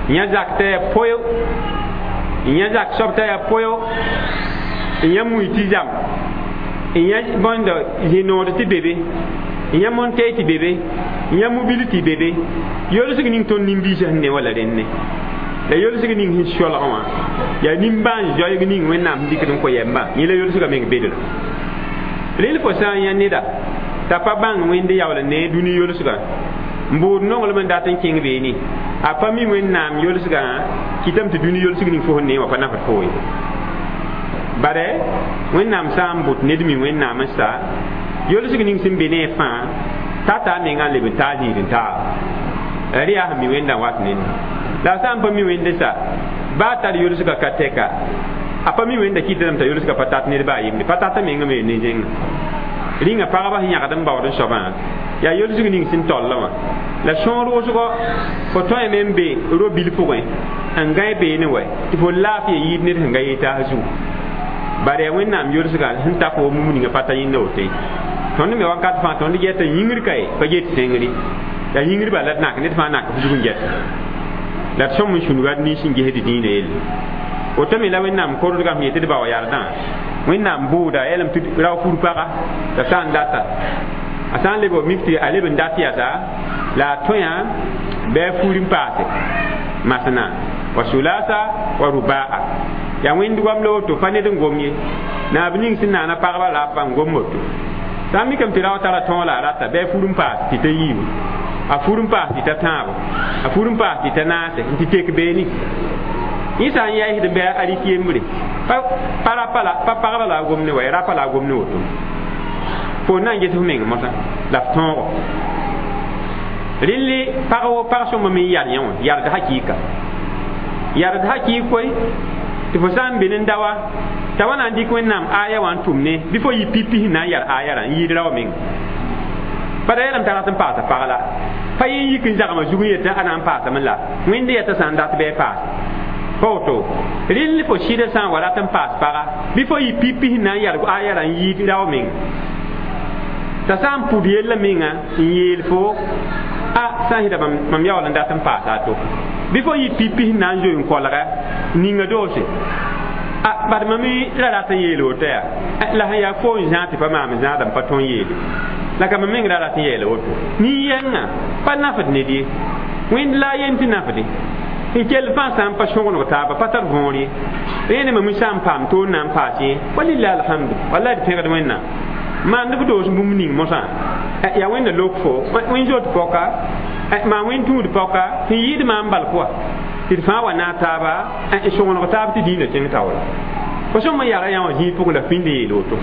yã zak t'a yaa poyo yã zak soab t'a yaa poyo yã mui tɩ zam yã bõnd zĩ-nood tɩ be be yã montɛɛ tɩ be be yã mobil tɩ be be yolsg ning tõnd nin-biisã sẽn ne wala rẽnne la yolsg ning sẽn solg wã yaa nimbãan-zoeeg ning wẽnnaam sẽn dɩkd n kõ yɛmbã yẽ la yolsgã meng bedra rel fo sã n yã neda t'a pa bãng wẽnd yaool n ne dũni yolsgã n buud nonglem n dat n kẽng beene a pa mi wẽnnaam yolsgã kɩtame tɩ dũni yolsg ning fo sẽn ne wã pa nafd fo ye bare wẽnnaam sã n bʋt ned mi wẽnnaam n sa yolsg ning sẽn be ne a fãa tata a mengã n leb n taa zĩig n taaba rẽ yaa sẽn mi wẽndã wat nenda la a sã n pa mi wẽnde sa baa tar yolsgã ka tɛka a pa mi wẽnda kɩtame t'a yolsgã pa tat ned baa yembre pa tata mengã me ne zẽnga rĩnga pagba sẽn yãgd n baood n soabã yaa yolsg ning sẽn tollã wã la sõor wʋsgo fo tõeme n be ro-bil pʋgẽ n gãe beene wɛ tɩ fo laafɩ yiid ned sẽn ga yee taas zugu Bare ya wẽnnaam yolsga sẽn ta fo mum ninga pa ta yẽnda woto ye. Tõnd me wakat fãa tõnd geta yĩngr ka ye pa get sẽngre. Ya yĩngr bala d nak ned fãa nak f zug n geta. La d sõm n sũnuga d nins n gesd dĩinã yelle. Woto me la wẽnnaam kordgã sẽn yetɩ d bao yardã wẽnnaam bʋʋda yɛlem tɩ rao fur paga t'a sã n data a sã n leb mik tɩ a leb n dat yasa la a tõe bɩ a fur n paase masna wa sulasa wa rubaa ya wẽnd goam la woto pa ned n gom ye naab ning sẽn naana pagba rapa n gom woto sã n mikame tɩ rao tara tõog la a rata bɩ a fur n paas tɩ ta yiibu a fur n paas tɩ ta tãabo a fur n paas tɩ ta naase n tɩ tek beene yẽ sã n yaɩsd bɩ a rɩk yembre pa rapa la pa pagba la a gom ne wa rapa la a gom ne woto fo na n ges f meng mosã la f tõogo rɩlli pag wo pag sõma me n yar yẽ wã yard hakɩɩka yard hakɩɩk koe tɩ fo sã n be n dawa t'a wa na n dɩk wẽnnaam aya wã n tʋm ne bɩ fo yɩ pipi sẽn na n yar aya rã n yɩɩd rao meng pa da yeelame t'a rat n paasa pag la pa yẽ yik n zagmã zug n yetɩ a na n paasame la wẽnd yɛta sã n dat bɩ a paase pa woto rɩll fo sɩdã sã n wa rat n paas paga bɩ fo yɩ pipi sẽn na n yar aya rã n yɩɩd rao meng t'a sã n pʋd yellã menga n yeel fo a sã n sɩda mam yaool n dat n paasa a to bɩ fo yɩ pipi sẽn na n zoe n kolga ninga doose a bad mam ra rat n yeel woto yaa la sẽn yaa fo n zãag tɩ pa maam zãada n pa tõe n yeele la ka mam meng ra rat n yeela woto nin-yɛngã pa nafd ned ye wẽnd la a yen tɩ nafde n kell fãa sã n pa sõgeneg taaba pa tar võor ye rẽene mam sã n paam toor na n paas yẽ walilah alhamdu wala d pẽgd wẽnnaam maand b doos bũmb ning mosã yaa wẽnda lok fo wẽn zot pɔka maa wẽn tũud pɔka sẽn yɩɩd maam bal pʋa tɩ d fãa wa naag taaba n sõgeneg taab tɩ dĩinã kẽng taoora fo sõm n yara yã wã zĩig pʋgẽ la pĩnd yeel woto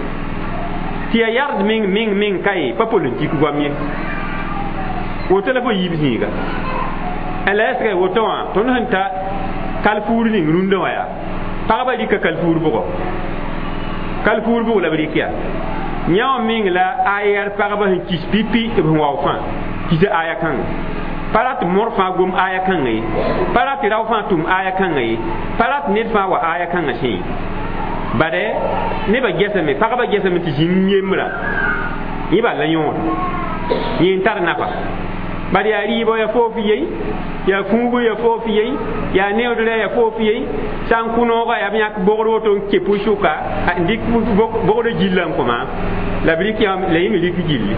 tɩ yaa yard meng meng meng ka ye pa politik goam ye woto la fo yiib zĩiga la ɛsga woto wã tõnd sẽn ta kalfuur ning rũndã wã yaa pagba rɩka kalfuur bʋgɔ kalfuur bʋg la b rɩk yaa yã wã meng la aya pagba sẽn kis pipi b sẽn wao fãa kisa aya kãnga pa rat mor fãa gom aya kãnga ye pa rat rao fãa tʋm aya kãnga ye pa rat ned fãa wa aya kãngã sẽn ye bade nebã gesame pagba gesame tɩ zĩm yembrã yẽ bal la yõod yẽ n tar nafa bad yaa rɩɩbɔ yaa foof yei yaa fũubu yaa foof yei yaa neoodrã yaa foof yei sã n kʋ nooga yaa b yãk bogr woto n ke pʋ-sʋka n dɩk bogr gillã n kõma la b rɩk la yẽ me rɩk gilli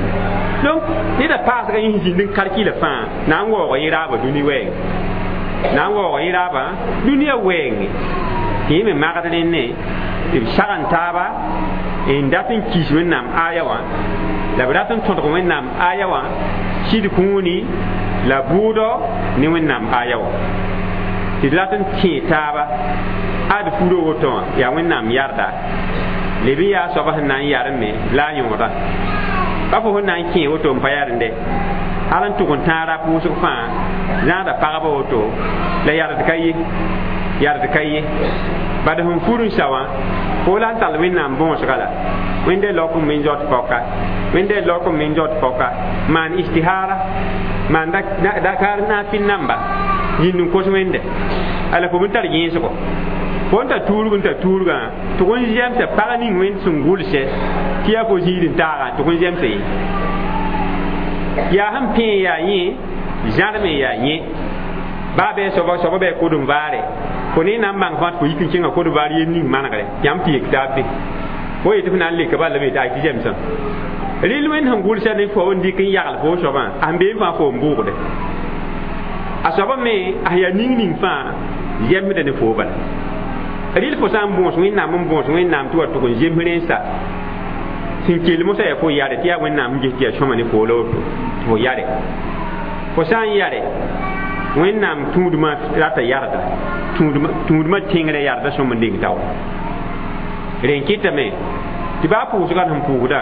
donc neda paasga yẽ zĩnd n kalkila fãa na n waoog yẽ raaba dũni wɛɛng na n waoog yẽ raabã dũniyã wɛɛnge tɩ yẽ me magd rẽnne b sag n taaba n dat n kis wẽnnaam aya wã la b rat n tõdg wẽnnaam aya wã sɩd kũuni la bʋʋdɔ ne wẽnnaam aya wã tɩ d rat n tẽ taaba ad furo woto wã yaa wẽnnaam yarda leb n yaa soaba sẽn na n yarme la a yõoda pa fo sẽn na n kẽ woto n pa yarende hal n tʋg n tãag rap wʋsg fãa zãada pagba woto la yard ka ye yard ka ye bad sẽn fur n sa wã fo la n tall wẽnnaam bõosga la wẽnde lok n me zot pɔka wẽnde lok n me zot pɔka maan istihara maan dakar naafɩl namba yĩnd n kos wẽnde ala fo n tar gẽesgo fo n ta tuurg n ta tuurgã tʋg n zemsa pag ning wẽnd sẽn gʋlsɛ tɩ yaa fo zĩig n taagã tʋg n zemsa ye yaa sẽn pẽe yaa yẽ zãrme yaa yẽ baa bɩ soaba soaba bɩ kod n vaare fo ne na n bãng fãa tɩ fo yik n kẽnga kod vaar yel ning manegre yãmb tɩ yek taab be fo yetɩ f na n leka bala la be tɩ ay tɩ zemsã rɩl wẽnd sẽn gʋlsa ne fo n dɩk n yagl fo soabã a sẽn bee fãa fo n bʋʋgde a soaba me a sẽn yaa ning ning fãa zemsda ne fo bala rɩl fo sã n bõos wẽnnaam n bõos wẽnnaam tɩ wa tʋg n zems rẽnsa sẽn kell mosã yaa fo yare tɩ yaa wẽnnaam n ges tɩ yaa sõma ne fo la woto tɩ fo yare fo sã n yare wẽnnaam tũudmã rata yarda tũudmã tẽngrã yarda sõm n deng taoor rẽn kɩtame tɩ baa pʋʋsgã sẽn pʋʋsdã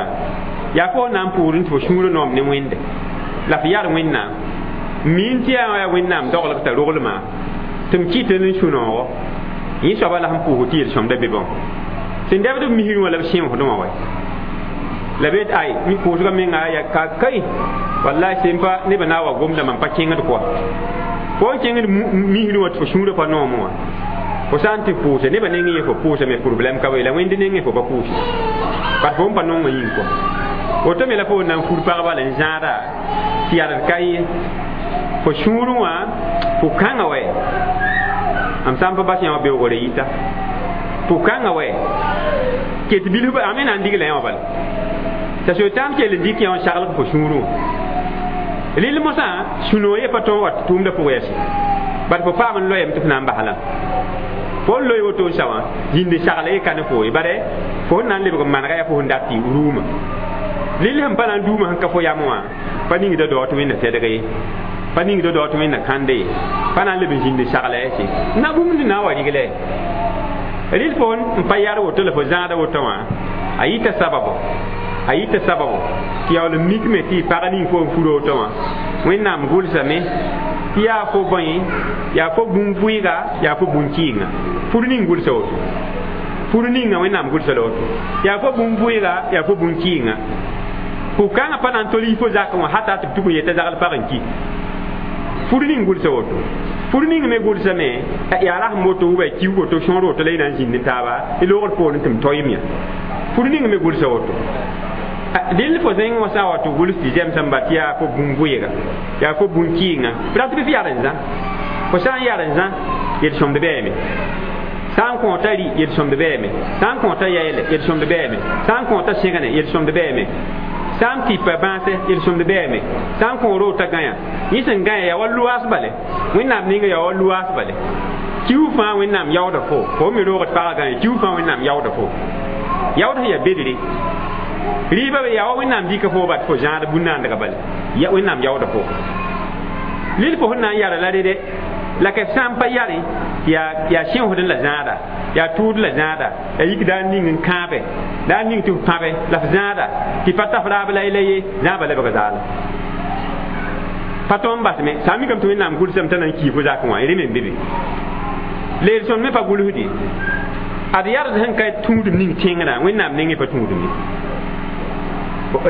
yaa fo na n pʋʋsd n tɩ fo sũurã noom ne wẽnde la f yar wẽnnaam miin tɩ yaa yaa wẽnnaam doglg t'a roglmã tɩ m kɩt n sũ-noogo yẽ soaba la sẽn pʋʋsd tɩ yel-sõmda be bão sẽn dɛbd b misrẽ wã la b sẽosdẽ wã wa la be ay mi pʋʋsgã menga ya ka kai wallahi sẽn pa nebã na n wa gomda mam pa kẽngd kɔa fo n kẽngd misrẽ wã tɩ fo sũurã pa noom wã Fo sã n tɩ pʋʋse nebã nengẽ yẽ fo pʋʋsame problɛm ka be la wẽnd nengẽ fo pa pʋʋse bat fo n pa nongã yĩng kɔ woto me la fo na n fur pagba la n zãada tɩ yard ka ye fo sũurẽ wã fo kãngã wɛ m sã n pa bas yã wã beoogre yita fo kãngã wɛ ket bilf a me na n digla yã wã bala t'a sotan kell n dɩk yã wã saglg fo sũurẽ wã rɩl mosã sũ-noog ye pa tõog wa tʋʋmdã pʋgã yɛse bat fo paam n loeem tɩ f na n basla fo n loe woto n sa wã zĩnd sagla ye ka ne fo ye bare fo n na n lebg n manega yaa fo sẽn dat tɩ rʋʋmã rɩl sẽn pa na n duumã sẽn ka fo yam wã pa ningda dao tɩ wẽnna tɛdg ye pa ningda dao tɩ wẽnna kãnde ye pa na n leb n zĩnd sagla yɛse na bũmb na n wa riglɛ rɩl fo n pa yar woto la fo zãada woto wã a yita sababo a yita sababo tɩ yaool n mikme tɩ pag ning fo n fur woto wã wẽnnaam gʋlsame tɩ yaa fo bõe yaa fo bũn-vʋɩga yaa fo bũn-kɩɩnga fur ning gʋlsa woto fur ninga wẽnnaam gʋlsa la woto yaa fo bũn-vʋɩga yaa fo bũn-kɩɩnga pʋg-kãngã pa na n tol yi fo zakẽ wã hata tɩ b tʋg n yeta zagl pag n ki fur ning gʋlsa woto fur ning me gʋlsame yaa rasem woto wʋba kiug woto sõor woto la y na n zĩnd taaba y loogd poorẽ tɩ m toeem yã fur ning me gʋlsa woto dɩl fo zẽng wã sã n wa tɩ gʋls tɩ zɛmsẽm ba tɩ yaa fo bũn-vʋɩga yaa fo bũn-kɩɩnga b rat bɩ f yar n zã fo sã n yar n zã yel-sõmd bɛɛme sã n kõota rɩ yel-sõmd bɛɛme sã n kõota yɛɛlɛ yel-sõmd bɛɛme sã n kõota sẽgne yel-sõmd bɛɛme sã n tipa bãase yel-sõmd bɛɛme sã n kõ roota gãyã yẽ sẽn gãyã yaa wa loaas bale wẽnnaam ninga yaa wa loaas bale kiu fãa wẽnnaam yaooda fo fo me roogd pagã gãyã kiu fãa wẽnnaam yaooda fo yaood sẽn yaa bedre rɩɩbã be yaa wa wẽnnaam dɩka fo bat fo zãad bũn-naandgã bale ya wẽnnaam yaooda fo lil fo sẽn na n yara la rede la ka sã n pa yare yaa sẽosd la zãada yaa tʋʋd la zãada yaa yik daa ning n kãabe daa ning tɩ f pãbe la f zãada tɩ pa taf raab la la ye zãaba lebg zaala pa tõnd basme sã n mikame tɩ wẽnnaam gʋlsame t'a na n kii fo zakẽ wã rẽ me n be be leer sõnd me pa gʋlsde ad yard sẽn ka tũudum ning tẽngrã wẽnnaam nengẽ pa tũudum ye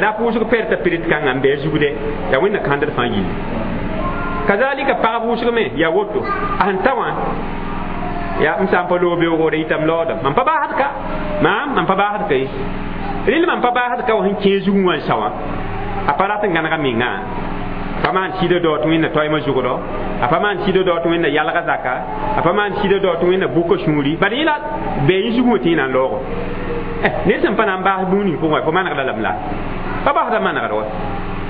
ra pʋʋsg perta pirit kãngã n bɩ a zugde yaa wẽnna kãndd fãa yilli kazalika pagb wʋsg me yaa woto a sẽn ta wã yaa m sã n pa loog beoogre yitame laoodame mam pa baasd ka maam mam pa baasd ka ye rɩl mam pa baasd ka wã sẽn kẽe zugẽ wã n sa wã a pa rat n gãnega mengã pa maan sɩda dao tɩ wẽnna toɛɛmã zʋgdɔ a pa maan sɩda dao tɩ wẽnna yalga zaka a pa maan sɩda dao tɩ wẽnna bʋka sũuri bad yẽla bɩ yẽ zugẽ wã tɩ yẽ na n laoogo ned sẽn pa na n baas bũmb ning pʋgẽ fo manegda lame la pa basda manegd wa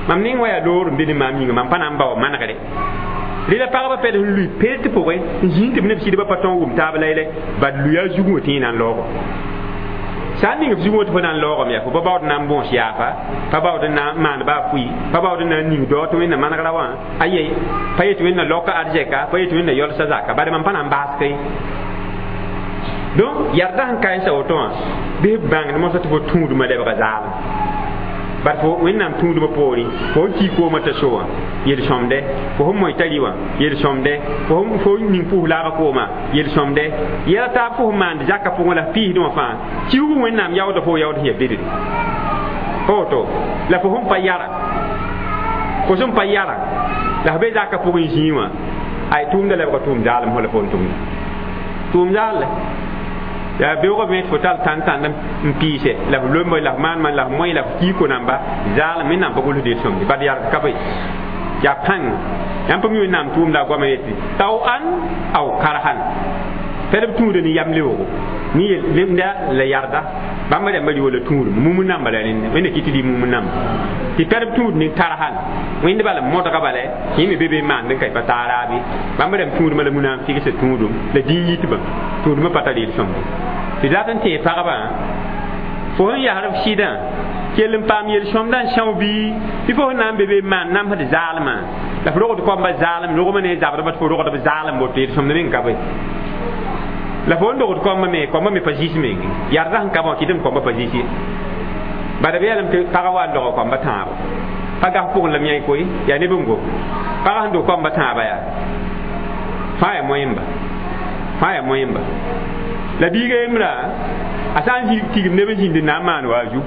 mam ning wa yaa loor n be ne maam yĩnga mam pa na n bao manegre rɩla pagba pɛd sẽn lʋɩ peet pʋgẽ n zĩig tɩ b neb sɩdbã pa tõog wʋm taab laylɛ bad lʋɩ a zugẽ wã tɩ yẽ na n laoogo sã n ning f zugẽ wã tɩ fo na n laoogame yaa fo pa baood na n bõos yaafa pa baood n na n maan baa fʋɩ pa baood n na n ning dao tɩ wẽnna manegra wã aye pa yet wẽnna laoka arzɛka pa yet wẽnna yɔlsa zaka bare mam pa na n baaska ye donc yarda sẽn ka n sa woto wã bɩ b bãngd mosã tɩ fo tũudmã lebga zaalem bat fo wẽnnaam tũudmã poorẽ fo n kii koomã t'a so wã yel-sõmde fo sẽn moe t'a rɩ wã yel-sõmde fo ning pʋs laagã kooma yel-sõmde yɛla taab fo sẽn maand zakã pʋgẽ la f piisdẽ wã fãa kiuug wẽnnaam yaooda fo yaood sẽn yaa bedre pa woto la fo sẽn pa yara fo sẽn pa yara la f be zakã pʋgẽ zĩig wã ay tʋʋmda lebga tʋʋm zaalem fo la fo n tʋmda tʋʋm zaal yaa beoogã me tɩ fo tall tãn-tãnd n piise la f lomb la f maanmã la f moe la f kii ko-namba zaalem wẽnnaam pa gʋlsd yel-sõmde bad yard ka be yaa pãng yãmb pa mi wẽnnaam tʋʋmda a goamã yetɩ tao an aw karhan pɛd b tũuda ne yam leoogo ne lemda la yarda bãmba rãmba rɩ wala tũudum mumb namba la rẽnd wẽnna kɩ tɩ rɩ mumb namba tɩ pɛd b tũud ne karhan wẽnd bala modga bala yẽ me be be maand n ka pa taa raabe bãmba rãmb tũudmã la munafigsa tũudum la dĩn yitbã tũudmã pa tar yel-sõmde tɩ dat n tẽe pagba fo sẽn yasr f sɩdã kell n paam yel-sõmdã n são bii tɩ fo sẽn na n be be n maan namsd zaalmã la f rogd koamba zaalem rogmã ne zabdbã tɩ fo rogd b zaalem woto yel-sõmd meng ka be la fo n dogd koambã me pa zis meng yarda sẽn ka bã kɩtame koambã pa zis ye bala b yeelame tɩ pagã wa n doga koambã tãabo pa gas pʋgẽ lame yã koe yaa neb n gom pagã sẽn dog koambã tãaba yaa fãa yaa moẽmba fãa yaa moẽmba la biiga yembra a sã n tigim neb n zĩnd n na n maan wa a zu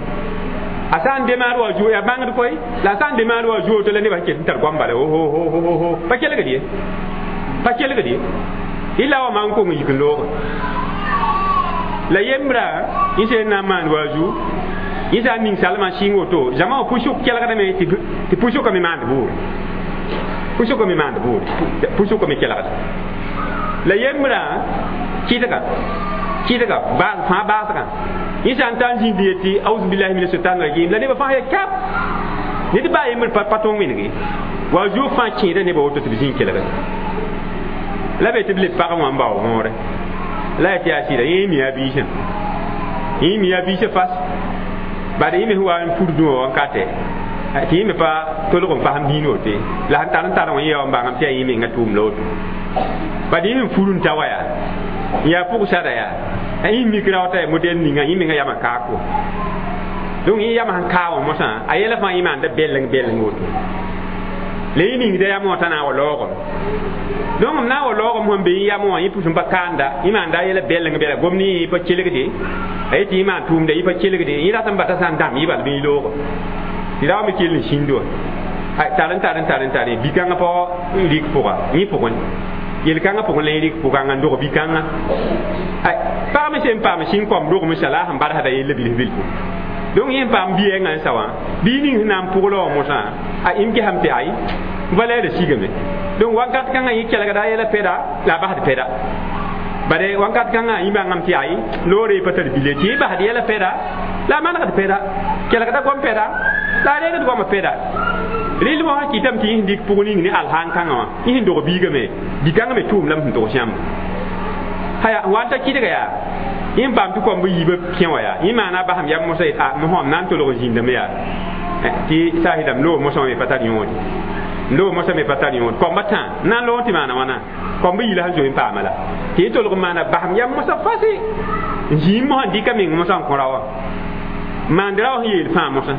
a sã n demaad wa zuo yaa bãngd koe la a sã n demaad wa zuo to la nebã ket n tar goam bala ho pa kelgd ye pa kelgd ye Ila wa man ko ngi loog la yembra ise na man waju isa ning salma singo to jama pusuk kelgdame tɩ pusukame maand buure pusukame maand buure pusukame kelgda la yembra kɩdga kɩdga fãa baasgã yẽ sã n ta n zĩnd yetɩ auzubillahi mina shaitan rajim la nebã fãa ya kap ned baa yembr pa tõog wẽnege wa zuo fãa kẽeda nebã woto tɩ b zĩig kelgd la be tɩ b leb pagã wã n bao võore la ya tɩ yaa sɩda yẽ mi a biisã yẽ mi a biisã fas bad yẽ me sẽn wa n fur dũwã wankatɛ tɩ yẽ me pa tolg n fasem dĩin woto ye la sẽn tar n tar wã yẽ ya n bãngame tɩ yaa yẽ mengã tʋʋm la woto bad yẽ sẽn fur n ta wa yaa n yaa pʋgsada yaa yẽ mik rao t'a modɛl ninga yẽ mengã yamã kaako donc yẽ yamã sẽn kaa wã mosã a yɛla fãa yẽ maanda bɛleng bɛleng woto la yẽ ningda yamã wã t'a na n wa laoogame donc m na n wa laoogame sẽn be yẽ yamã wã yẽ pʋs n pa kaanda yẽ maanda a yɛla bɛleng bɛla gomd yẽ pa kelgde a yetɩ yẽ maan tʋʋmda yẽ pa kelgde yẽ rat n bata sã n dãmb yɩ bal bɩ yẽ looga tɩ ra wa me kell n sĩnd wã tar n tar n tar n tare bi-kãngã pa rɩk pʋga yẽ pʋgẽ yel-kãngã pʋgẽ la yẽ rɩk pʋgãngã n dog bi-kãngã pag me sẽn paam sĩn kõm rogem sã la a sẽn barsda yella bilf bilfu donc yẽ n paam bi-yɛngã n sa wã bii ning sẽn na n pʋgla wã mosã a m gesame tɩ ay valɛɛrã sigame donc wakat kãngã yẽ kelgda a yɛla pɛda la a basd pɛda bare wakat kãngã yẽ bãngame tɩ ay loore pa tar bile tɩ yẽ basd yɛla pɛda la a manegd pɛda kelgda gom pɛda la a reegd goamã pɛda rɩl wã kɩtame tɩ yẽ sẽn dɩk pʋg ning ne alsaan kãngã wã yẽ sẽn dog biigame bi-kãngã me tʋʋm lame sẽn tog sãmb haya n wa n ta kɩdga yaa yẽ n paam tɩ koamb yiibã kẽ wã yaa yẽ maana a basem yam mosã yet a mosã m na n tolg n zĩndame yaa tɩ saasdame loog mosã wã me pa tar yõode loog mosã me pa tar yõod koamba tã n na n loog tɩ maana wãna koamba yi la sẽn zoe n paama la tɩ yẽ tolg n maana basem yam mosã fase n zĩig mosã n dɩka meng mosã n kõ ra wã maand ra wã sẽn yeel fãa mosã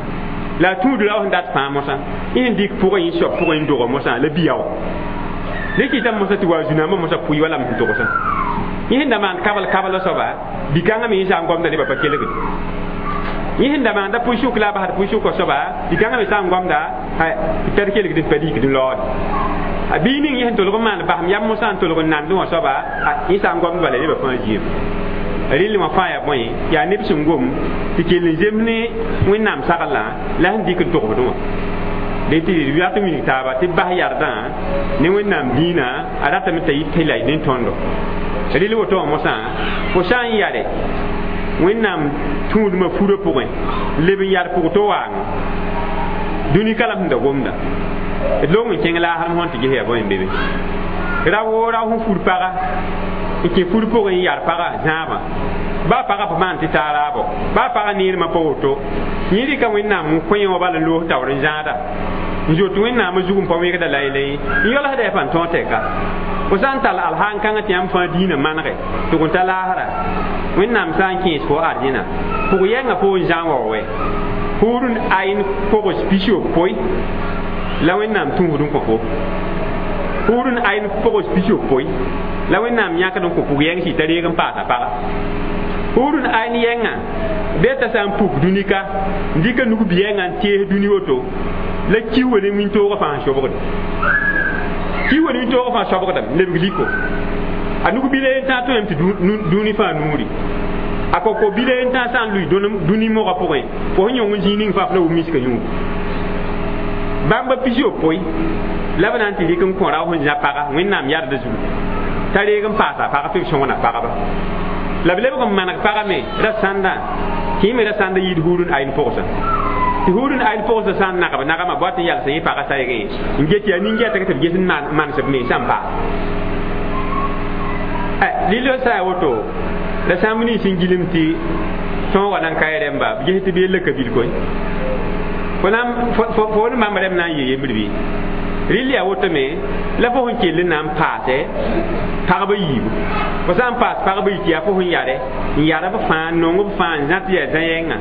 la a tũud ra wã sẽn dat fãa mosã yẽ sẽn dɩk pʋgẽ yẽ soab pʋgẽ n doga mosã la biya wã le kɩtame mosã tɩ wa zũ-nambã mosã pʋɩ wala m sẽn togsã yẽ sẽn da maan kabl kabl soaba bi-kãngã me yẽ sã n gomda nebã pa kelgde yẽ sẽn da maanda pʋɩ-sʋk la a basd pʋɩ-sʋkã soaba bi-kãngã me sã n gomda tɩ pɛd kelgd n pa rikd n laoode a bii ning yẽ sẽn tolg n maan basem yam mosã n tolg n nandẽ wã soaba yẽ sã n gomd bala nebã fãa zĩem rɩl wã fãa yaa bõe yaa neb sẽn gom tɩ kell n zems ne Wẽnnaam saglã la sẽn dɩk n togsdẽ wã de tɩ d rat n wilg taaba tɩ bas yardã ne Wẽnnaam dĩinã a ratame t'a yɩ tɩ la ne tõndo rɩl woto wã mosã fo sã n yare Wẽnnaam tũudmã furã pʋgẽ leb n yar pʋg to waang dũni ka la sẽn da gomda d loong n kẽng laasrem sẽn tɩ ges yaa bõe n be be ra woo rao sẽn fur paga n kẽ fur pʋgẽ n yar paga zãabã baa pagã pa maan tɩ taa raabo baa pagã neermã pa woto yẽ rɩka Wẽnnaam n kõ yẽ wã bal n loos taoor n zãada n zoet Wẽnnaamã zug n pa wẽgda laylẽ n yalsda yaa pãn tõog tɛka fo sã n tall alhaan kãngã tɩ yãmb fãa dĩinã manege tɩ g ta laasra Wẽnnaam sã n kẽes fo arzẽna pʋg yɛngã fo n zã n wao wɛ hurun ayn kogs 60 la Wẽnnaam tũusd n kõ fo hurun ayn kogs 60 la Wẽnnaam yãkd n kõ pʋg yɛng sɩ t'a reeg n paasa paga hurun ayn yɛngã bɩ t'a sã n puk dũni ka n dɩka nug bi-yɛngã n tees dũni woto la ki wa ne wĩntoogã fãa n sobgde ki wa ne wĩntoogã fãa sobgdame lebg liko a nug bila yen tã tõem tɩ dũni fãa nuuri a koko bila yen tã sã n lʋɩ dũni mogã pʋgẽ fo sẽn yõng n zĩig ning fãa f la wʋm miskã yũugu bãmba 60 la b na n tɩ rɩk n kõ rao sẽn zã paga Wẽnnaam yardã zugu t'a reeg n paasa pag tɩ b sõngna pagba la b lebg n maneg pagã me ra sãndã tɩ yẽ me ra sãnda yɩɩd hurun ayn pʋgsã tɩ hurun ayn pʋgsã sã n nagb nagamã boat n yalsã yẽ pagã saygẽ n get yaa nin-gɛtg tɩ b ges n manes b mensã n paas lilo sã yaa woto la sãmb nins n gilem tɩ tõogã nan ka rẽmba b ges tɩ b yella ka bil koe fo ne bãmb rẽmb na n yee yembr bɩ rɩl yaa woto me la fo sẽn kell n na n paase pagba yiibu fo sã n paas pagba yi tɩ yaa fo sẽn yare n yar b fãa n nong b fãa n zã tɩ yaa zã-yɛngã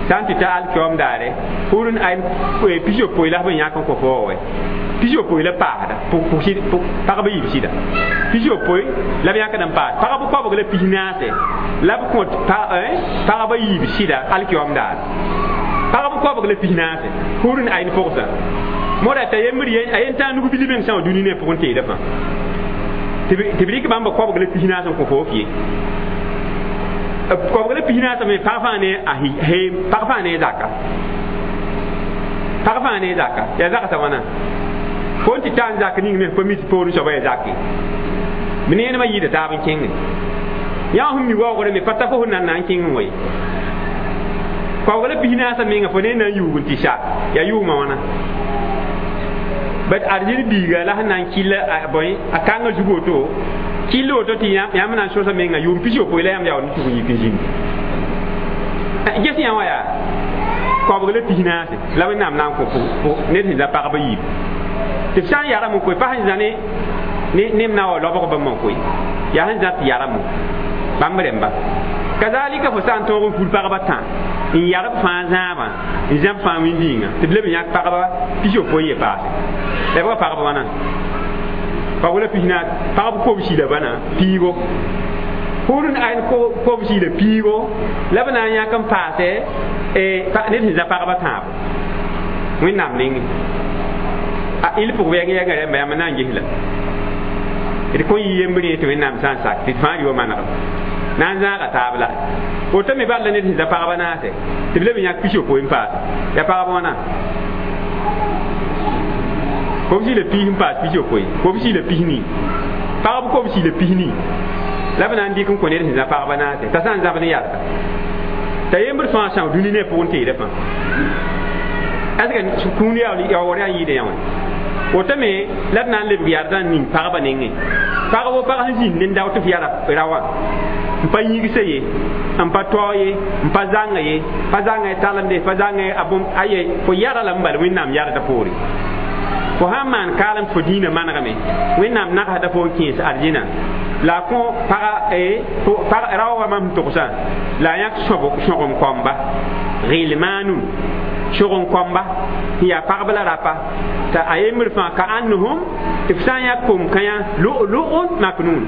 sã n tɩ ta alkiom daare hurun ayn 60 la b yãk n kõ fo wa wɛ 60 la paasda pagba yiib sɩda 60 la b yãkd n paas pagb koabg la 44 la b kõt pagba yiib sɩda alkiom daar pagb koabg la 44 hurun ayn pʋgsa moda t'a yembr a yen tã nug bil meng sã wã dũni ne pʋgẽ teeda fãa Tɩ b rɩk bãmb koabg la pisnaas n kõ fo f ye. Koabg la pisnaas me pag fãa ne a pag fãa ne zaka. Pag fãa ne zaka. Yaa zagsã wãna. Fo n tɩ ta n zak ning me pa mi tɩ poorẽ soaba yaa zake. B neenemã yɩɩda taab n kẽngẽ. Yã sẽn mi waoogrã me pa ta fo sẽn na n kẽng n wa ye. Koabg la pisnaasã menga fo ne na n yuug n tɩ sa yaa yʋʋmã wãna. Bat arzɩn biiga la sẽn na n kɩll a bõe a kãngã zug woto kɩll woto tɩ yãmb na n sõsa menga yʋʋm 60 la yãmb yaool n tʋg n yik n zĩnd. Ges yã wã yaa koabg la pisnaase la Wẽnnaam na n kõ ned sẽn za pagb yiib. Tɩ f sã n yarame koe pa sẽn zã ne nem na wa lobg bãmb n koe yaa sẽn zã tɩ yarame bãmb rẽmba. Kazalika fo sã n tõog n ful pagba tã n yarb fãa zãabã n zãb fãa wĩndiingã tɩ b leb n yãk pagba 60 ye paase. La b pagb wãna pagb la pisnaas pagb kobsi la bãna piigo pʋʋr n ayn kobsi la piigo la b na n yãk n paase ned sẽn zã pagba tãabo Wẽnnaam nengẽ. A il pʋg wɛɛng yɛngã rẽmba yãmb na n ges la d kõn yɩ yembre tɩ Wẽnnaam sã n sak tɩ d fãa rɩ wa manegem na n zãaga taab la woto me bal la ned sẽn zã pagba naase tɩ b leb n yãk 60 n paase yaa pagb wãna kobsi la piis n paas 60 kobsi la pisni pagb kobsi la pisni la b na n dɩk n kõ ned sẽn zã pagba naase t'a sã n zãb ne yarga t'a yembr fãa são dũni ne pʋgẽ teeda fãa est ce que kũun yaoor yaa n yɩɩda yã wã woto me la d na n lebg yardã n ning pagba nengẽ pag wo pag sẽn zĩnd n dao tɩ f yara raoã n pa yĩgsa ye n pa taoog ye n pa zãnga ye pa zãnga y talemde pa zãnga a bõmb aye fo yara la n bal Wẽnnaam yarda poore. Fo sã n maan kaalem tɩ fo dĩinã manegame Wẽnnaam nagsda fo n kẽes arzẽna la a kõ paga rao wa mam sẽn togsã la a yãk sõgem kɔmba gɩlmaanun sõgem kɔmba sẽn yaa pagb la rapa t'a a yembr fãa ka annahum tɩ f sã n yãk kom-kãyã lu'lu'un maknun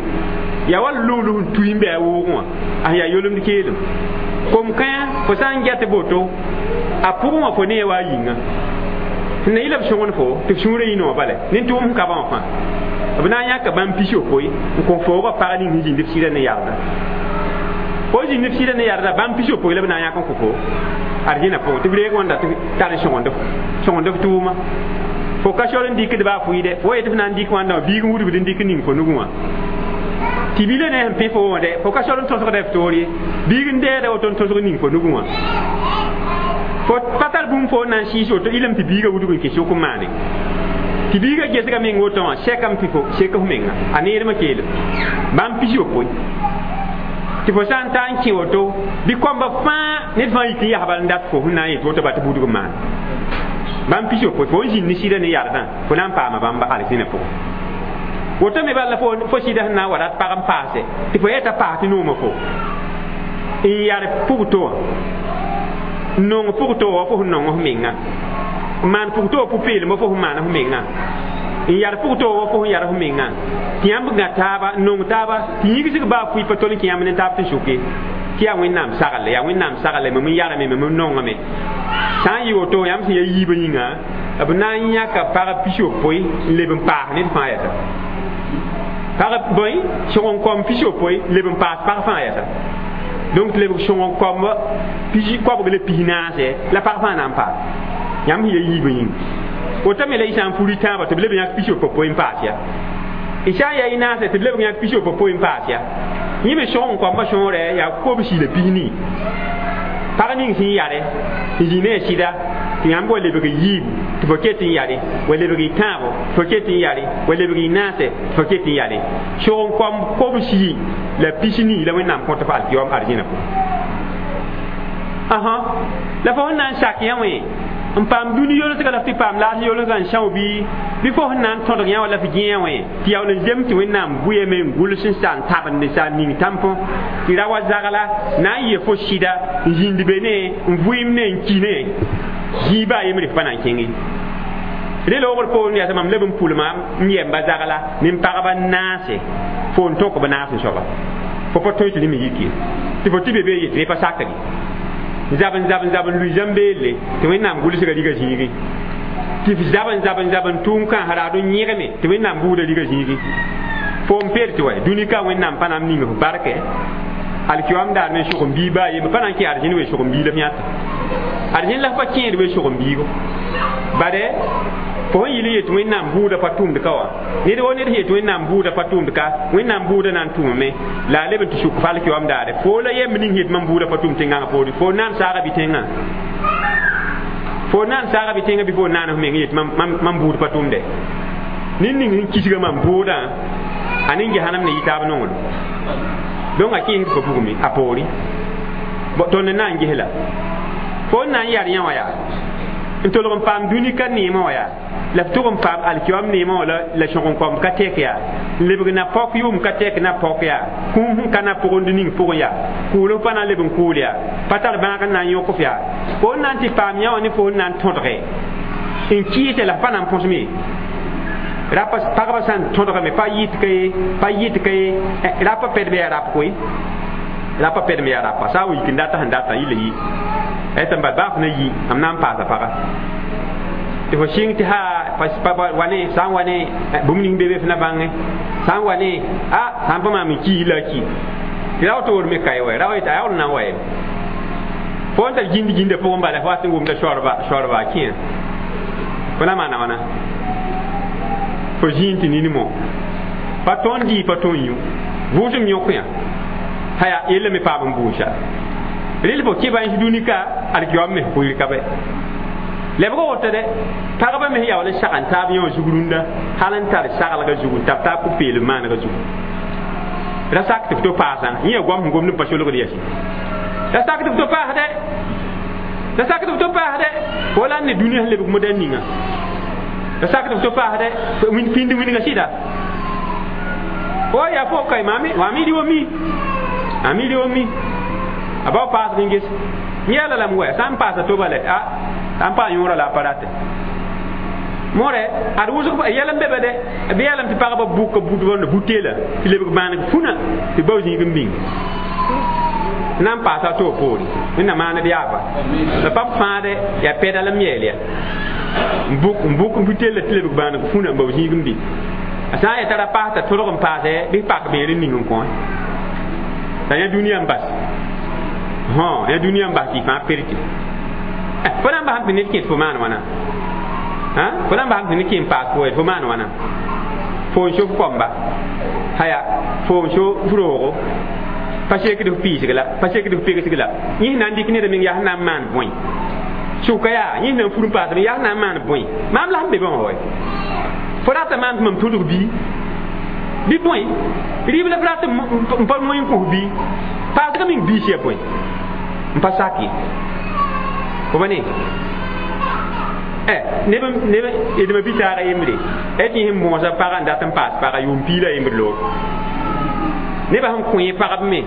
yaa wa lugl sẽn tui n bɩ a woogẽ wã a sẽn yaa yolemd keelem kom-kãyã fo sã n get boto a pʋgẽ wã fo nee wa a yĩnga sẽn na yɩla b sõgend fo tɩ f sũurã yĩna wã bala nin-tʋʋm sẽn ka bã wã fãa b na n yãka bãmb 60 n kõ foogã pag ning sẽn zĩnd f sɩdã ne yarda fo zĩnd f sɩdã ne yarda bãmb 60 la b na n yãk n kõ fo arzẽna pʋgẽ tɩ b reeg wãnda tɩ tar sõgend f tʋʋma fo ka sor n dɩkd baa fʋɩɩdɛ fo yetɩ f na n dɩk wãnda wã biig n wudgd n dɩk ning fo nugẽ wã tɩ bila ne sẽn pẽ fo wã dɛ fo ka sor n tõsgda f toor ye biig n dɛɛda woto n tõsg ning fo nugẽ wã fo pa tar bũmb fo n na n sɩɩs woto ilem tɩ biigã wudg n kẽ sʋk n maane tɩ biigã gesga meng woto wã sɛkame tɩ fo sek f menga a neermã keelem bãmb 60 tɩ fo sã n ta n kẽ woto bɩ kõmba fãa ned fãa yik n yas bal n dat fo sẽn na n yet woto ba tɩ budg n maan bãmb 60 fo n zĩnd ne sɩdã ne yardã fo na n paama bãmba alzẽna pʋgẽ woto me bala fo sɩda sẽn na n wa rat pag n paase tɩ fo yɛta paas tɩ noomã fo n yar pʋgto wã n nong pʋgto wã fo sẽn nong f menga n maan pʋgto wã pʋ-peelem fo sẽn maan f menga n yar pʋgto wã fo sẽn yar f menga tɩ yãmb gã taaba n nong taaba tɩ yĩgsg baa fʋɩ pa tol n kẽ yãmb ne taab tɩ sʋke tɩ yaa Wẽnnaam sagl yaa Wẽnnaam sagle mam n yarame mam n nongame sã n yɩ woto yãmb sẽn ya yiibã yĩnga b na n yãka pag 60 n leb n paas ned fãa yɛsa pag bõe sõg n kõm 60 leb n paas pag fãa yɛsa donc lebg sõg n kõm koabg la pisnaase la pag fãa na n paas yãmb sẽn ya yiibã yĩnga woto me la y sã n furi tãabã tɩ b leb n yãk 60 n paas ya y sã n yaa y naase tɩ b leb n yãk 60 n paas ya yẽ me sõg n kõmbã sõore yaa kobsi la pisni pag ning sẽn yare n zĩ ne a sɩda tɩ yãmb wa lebg yiib tɩ fo ket n yare wa lebg y tãabo fo ket n yare wa lebg y naase tɩ fo ket n yare sõg n kõmb kobsi la pisni la Wẽnnaam kõt f alkiyoom arzẽna pʋgẽ ãhã la fo sẽn na n sak yã wẽ n paam dũni yolsga la f tɩ paam laas yolsgã n são bɩ fo sẽn na n tõdg yã wa la f gẽ wẽ tɩ yaool n zem tɩ Wẽnnaam bʋyame n gʋls n sa n tabend sa n ning tãmpõ tɩ ra wa zagla na n yɩ fo sɩda n zĩnd be ne n vʋɩɩm ne n ki ne zĩiba a yembre f pa na n kẽnge re loogr poorẽ yaa mam leb n pʋlma n yɛmba zagla ne n pagba naase fo n tõk b naas n soaba fo pa tõe tɩ rẽmb yik ye tɩ fo tɩ be be yetɩ pa sakre zab n zab n zab n lʋɩ zãmbeelle tɩ Wẽnnaam gʋlsga riga zĩigẽ tɩ f zab n zab n zab n tʋʋm kãas raad n yẽgme tɩ Wẽnnaam buudã riga zĩigẽ fo Fo n peer tɩ wa dũni ka Wẽnnaam pa na n ning f barkɛ alkiyoam daar me sʋg n bii baa yembre pa na n kẽ arzẽn we sʋg n bii la f yãta arzẽn la f pa kẽed we sʋg n biigo bade fo sẽn yɩl n yet Wẽnnaam bʋʋda pa tʋmd ka wã ned wo ned sẽn yet Wẽnnaam bʋʋda pa tʋmd ka Wẽnnaam bʋʋda na n tʋmame la a leb n tɩ sʋk f alkiyoam daare fo la yemb ning yet mam bʋʋda pa tʋm tẽngãngã poore fo na n saaga bɩ tẽngã fo na n saaga bɩ tẽngã bɩ fo naan f meng yet mam bʋʋd pa tʋmde ned ning sẽn kisga mam bʋʋdã a ning gehanam ne yɩ taab nonglem donc a kẽesd pa bugme a poore tõnd n na n ges la fo n na n yar yã wã yaa n tolg n paam dũni ka neemã wã yaa la f tʋg n paam alkiyoam neemã wã la sõg n kõm ka tɛk yaa n lebg na pɔk yʋʋm ka tɛk na pɔk yaa kũum sẽn ka na pʋgend ning pʋgẽ yaa kʋʋl f pa na n leb n kʋʋl yaa pa tar bãag n na n yõk f yaa fo n na n tɩ paam yã wã ne fo n na n tõdge n kɩɩse la f pa na n põsme rapa pagba sã n tõdgame pa yɩt ka ye pa yɩt ka ye rapa pɛdb yaa rap koe rapa pɛdm yaa rapa sã n wa yik n data sẽn data yɩla yi tɩ n bal baa f na yi mam na n paasa paga tɩ fo sɩng tɩ ha wa ne sã n wa ne bũmb ning be be f na bãngẽ sã n wa ne a sã n pa maam n ki la a ki tɩ ra woto me ka ye wa ra wa yetɩ a yaool n na n wa ye fo n tar gĩnd gĩndã pʋgẽ bala fo wat n wʋmda soarba a kẽa fo na maana wãna fo zĩig tɩ ninmo pa tõnd dɩ pa tõnd yũ vʋʋsem yõk yã haya yella me paam n buusa rel fo kɩba n dũni ka alkiyoam me kuir ka bɛ lebg woto dɛ pagba me yaool n sag n taab yã wã zug rũndã hal n tar saglgã zugu n tab taab pʋ-peelem maanegã zugu ra sak tɩ f to paasã yẽ ya goam sẽn gomd n pa solgd yɛsẽ ra sak tɩ f to paas dɛ ra sak tɩ f to paas dɛ fo la n ne dũniyã sẽn lebg modɛl ninga ra sak tɩ f to paas dɛ pĩnd wĩnga sɩda fo yaa fo ka maam y wa mi am y wa mi a bao paasg n ges yã la lame wɛ sã n paasa toba lɛ a sã n paa yõora la a pa rate moore ad wʋsg yɛl n be be dɛ bɩ yaa lame tɩ pagba bʋka butbõnda buteela tɩ lebg bãaneg fũna tɩ bao zĩig n bĩng na n paasa a to poore Wẽnnaam maaned yaaba la pa b fãade yaa pɛda la m yeel ya n bʋk n buteela tɩ lebg bãaneg fũna n bao zĩig n bĩng a sã n yeta ra paas t'a tõdg n paasɛ bɩ pak beer n ning n kõ t'a yã dũniyã n bas yã dũniyã n bas tɩ y fãa pertɩ fo na n basam tɩ ned kẽt fo maan wãna fo na n basam tɩ ned kẽ n paas fo fo maan wãna fo n so f kõmba haya fo n so f roogo pa sekd f piisg la pa sekd f pegsg la yẽ na n dɩk ned meng yaa sẽn na n maan bõe sʋka yaa yẽ na n fur n paasme yaa sẽn na n maan bõe maam la sẽn be bã wã wa fo rata maan tɩ mam tʋdg bii bɩ bõe rɩɩb la f rat n pa moe n kos bii paasga meng biis yaa bõe n pa sak ye fo ba ne neb d ma bi-taaga yembre tɩ sẽn bõosa pagã n dat n paas paga yʋʋm piig la yembr loor nebã sẽn kõ yẽ pagb me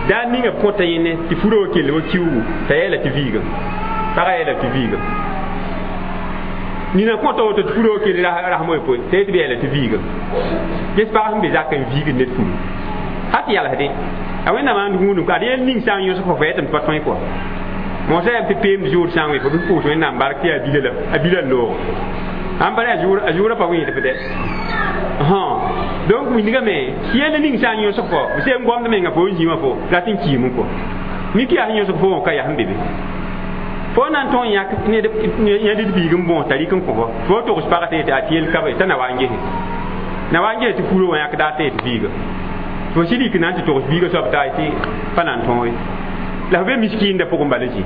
daa ninga b kõta yẽne tɩ furã wa kell wa kiuugu t'a yeela tɩ viigame pagã yeela tɩ viigame nina kõta woto tɩ furã wa kell rasem woe t'a yet bɩ yeela tɩ viigame ges pag sẽn be zakã n viigd ned furu ha tɩ yalsdẽ a Wẽnnaam ãnd gũudum ka ad yel ning sã n yõsg fo fo tɩ m pa tõe kɔa moosã yaa tɩ peemd zʋʋd sã n wẽ fo bɩ pʋʋs Wẽnnaam bark tɩ yaa bila la a bila n loogo ãn pa a zʋʋrã pa wẽed f dɛ donc wĩndgame yel ning sã n yõsg fo b sẽn gomd menga fo n zĩ wã fo rat n kiime kɔ mik yaa sẽn yõsg fo wã ka yaa sẽn be be fo na n tõog n yãk yãdd biig n bõos t'a rɩk n kõ fo fo togs pagã tɩ yetɩ a tɩ yel ka be t'a na wa n gese na wa n gese tɩ furã wã yãkda tɩ yetɩ biiga fo sɩd yik na n tɩ togs biiga soab t'a tɩ pa na n tõog ye la f be miskiinda pʋgẽ bala zĩ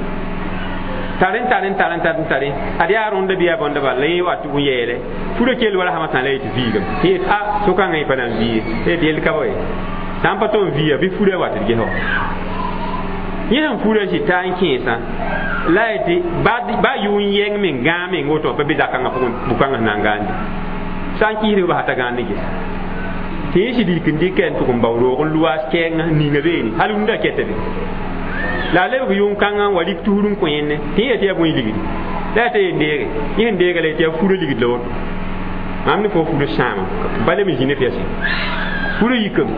tare n tare n tare n tare n tare ad yaa rõnda bɩ yaa bõnda bala la yẽ wa tɩ yeele furã kell wa rasmã sã la yetɩ viigame tɩ yet a sʋkãngã yẽ pa na n vii ye tɩ yel ka ba ye sã n pa tõnd viiya bɩ furã wa tɩ d ges wã yẽ sẽn furã sɩ taa n kẽesã la yetɩ ba yʋ n yɛng meng gãag meng woto pa be zakãngã pʋgẽ bʋ-kãngã sẽn na n gãande sã n kɩɩsd b t'a gãand ges tɩ yẽ sɩd yik n dɩka n tʋg n bao roog n lʋaas kɛɛngã ninga beene hal rũndã kɛta be la a lebg yʋng-kãngã n wa rɩk tusr n kõ yẽnne tɩ yẽ tɩ yaa bõe ligdi la yaa t'a yen deege yẽ sẽn deega la yetɩ yaa furã ligd la woto mam ne fo furã sãama ba leb n zĩ ne f yase furã yikame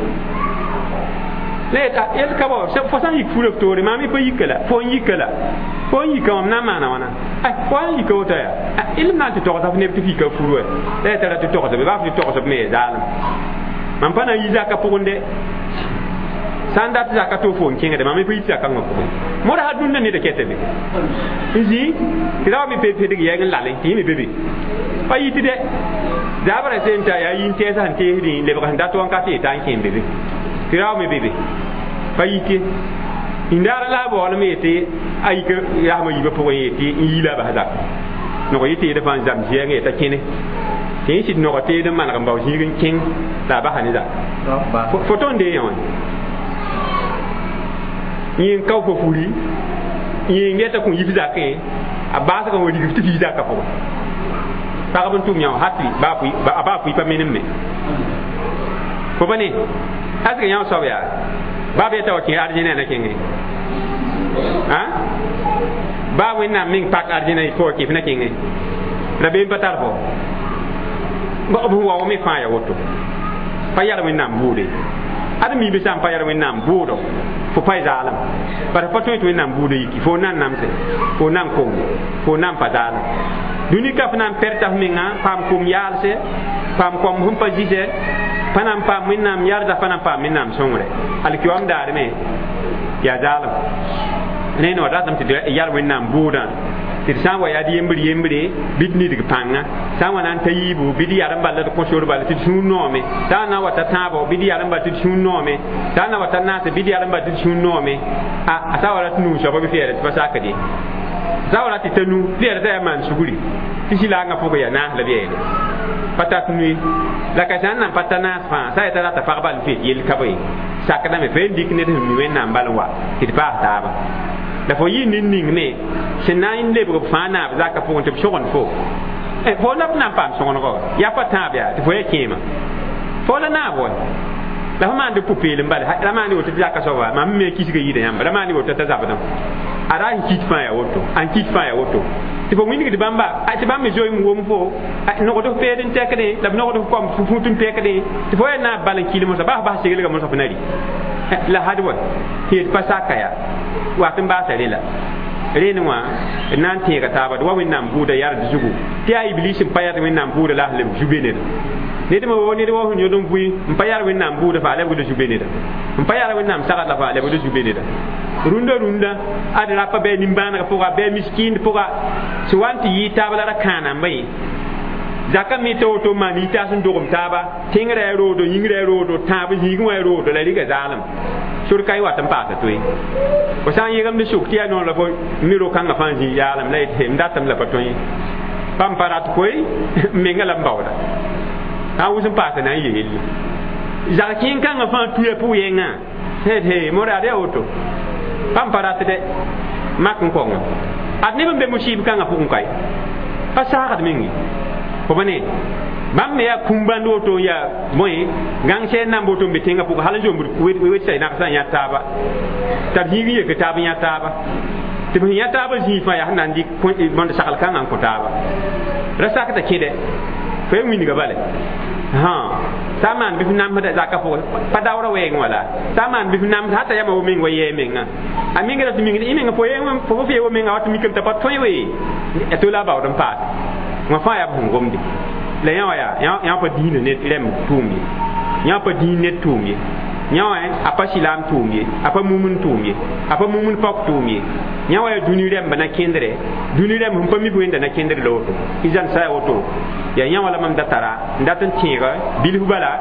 la yet yel ka bao fo sã n yik furã f toore maam y pa yika la fo n yika la fo n yika wãm na n maana wãna fo n yika woto yaa il na n tɩ togsa f neb tɩ f yika furu wa la yaa t'a ra tɩ togsb baa f tɩ togsb me yaa zaalem Mam pa na n yi zaka pʋgẽ dɛ sã n dat zaka to fo n kẽngde mam pa yit zakãngã pʋgẽ moda sã dũnna neda kɛta be n zĩ tɩ ra wa me pedg yɛɛg n lale tɩ yẽ me be be pa yit dɛ zabrã sẽn ta yaa yĩn tɛɛsã sẽn teesdẽ lebg sẽn dat wãnkat yeta n kẽ be be tɩ ra wa me be be pa yit ye n daara la a baoolem yetɩ a yik rasmã yiibã pʋgẽ yetɩ n yii la a bas zaka nog yɩ teedã fãa n zam zɛɛngã yeta kẽne tɩ yẽ sɩd noga teed n maneg n bao zĩig n kẽng la a basa ne zaka fo tõnd dee yã wã yẽ n kao fo furi yẽ n geta kõ yif zakẽ a baasgã wa rigf tɩ f yi zakã pʋgẽ pagb n tʋm yã wã hat a baa fʋɩ pa menem me fo pa ne asg yã soab yaa baa b yeta wa kẽ argẽnã na kẽngẽ baa wẽnnaam meng pak argẽnã fo wa kẽ f na kẽngẽ rabeem pa tar fo b sẽn wa me fãa ya woto pa yar wẽnnaam bʋʋde ad miibã sã n pa yar wẽnnaam bʋʋdo fo pa zaalem bara pa tõe tɩ wẽnnaam buudã yiki fo na n namse fo na n kong fo na n pa zaalem dũni ka f na n pɛrta f menga paam kom yaalse paam kom sẽn pa zɩsɛ pa na n paam wẽnnaam yarda pa na n paam wẽnnaam sõngre alkiwam daar me yaa zaalem ne no ratame tɩ d yar wẽnnaam bʋʋdã tɩ d sã n wa yaa d yembr yembre bɩ d nidg pãnga sã n wa na n ta yiibu bɩ d yar n bala d kõ sor bala tɩ d sũur noome sã n na n wa ta tãabo bɩ d yar n bala tɩ d sũur noome sã n na wa ta naase bɩ d yar n bala tɩ d sũur noome a sã wa rat nuu soaba bɩ f yɛɛra tɩ pa sakd ye sã wa rat tɩ ta nu f yɛɛra t'a yaa maan sugri tɩ sɩlaangã pʋgẽ yaa naas la b yɛɛle pa tat nue la ka sã n nan pa ta naas fãa sã yeta rata pag bal n fet yell ka bõe sakdame fo yen dɩk ned sẽn mi wẽnnaam bal n wa tɩ d paas taaba la fo yɩ ned ning me sẽn na n lebg b fãa naab zakã pʋgẽ tɩ b sõgend fo fo la b na n paam sõgengo yaa pa tãab yaa tɩ fo yaa kẽema fo la naab wa la fo maand pʋ-peelem bala ra maand woto tɩ zaka soaba mam me kisga yɩɩda yãmba ra maand woto t'a zabdã a ra n kit fãa yaa woto n kit fãa yaa woto tɩ fo wĩnigd bãmba tɩ bãmb me zoeem wom fo nogd f peed n tɛkdẽ la b nogd f kom fut n pɛkdẽ tɩ fo yaa naab bal n kɩl mosã baa f bas seglga mosã f na rɩ la had wa tɩ yet pa saka yaa wat n baasa rẽ la rẽnd wã d na n tẽega taaba d wa wẽnnaam bʋʋda yard zugu tɩ yaa iblis n pa yard wẽnnaam bʋʋda la sẽn lebg zu-be neda ned me wo ned wa sẽn yõd n vʋɩ n pa yar wẽnnaam bʋʋda faa lebgd zu-be neda n pa yar wẽnnaam sagd la faa lebgd zu-be neda rũndã rũndã ad rapa bɩ nimbãanegã pʋga bɩ miskind pʋga sẽn wa n tɩ yɩɩ taab la ra kãanamba ye zaka me t'a woto maan yitaas n dogem taaba tẽngrã yaa roodo yĩngrã yaa roodo tãab zĩigẽ wã yaa roodo la rɩga zaalem sor ka y wat n paasa toe fo sã n yẽgemd sʋk tɩ yaa noor la fo mi ro-kãngã fãa zĩ yaalem la yetɩ m datame la pa tõe pam pa rat koe m menga la m baooda sã n wʋs n paasa na n yeel zag kẽen-kãngã fãa tuya pʋg-yẽngã he moraad yaa woto pam pa rat dɛ mak n kõngo ad neb n be musib kãngã pʋgẽ kae pa saagd meng ye fo pa ne bãmb me yaa kũm-bãnd woto n yaa bõe gãng sɛɛn nan woto n be tẽngã pʋgẽ hal n zombd wetsã nagsã n yã taaba t'a b zĩig n yek taab n yã taaba tɩ b sẽn yã taabã zĩig fãa yaa sẽn na n dɩk bõnd sagl kãngã n kõ taaba ra sakda kẽdɛ fo ya wĩnga bale sã n maan bɩ f namsda zakã pʋgẽ pa daoora wɛɛngẽ wala sã n maan bɩ f namsd hata yama wo meng wa yɛɛ menga a menga ra tɩ mingd y menga fo fo f wo menga wa tɩ mikame t'a pa tõe wee a to la a baood n paase wã fãa yaa b sẽn gomde la yã wã yaa yã pa dĩinã ned rɛmb tʋʋm ye yã pa dĩin ned tʋʋm ye yã wã a pa silaam tʋʋm ye a pa mumn tʋʋm ye a pa mumn paok tʋʋm ye yã wã yaa dũni rɛmba na kẽndrɛ dũni rɛmb sẽn pa mi wẽnda na kẽndr la woto izan sã ya woto yaa yã wã la mam da tara n dat n tẽega bilf bala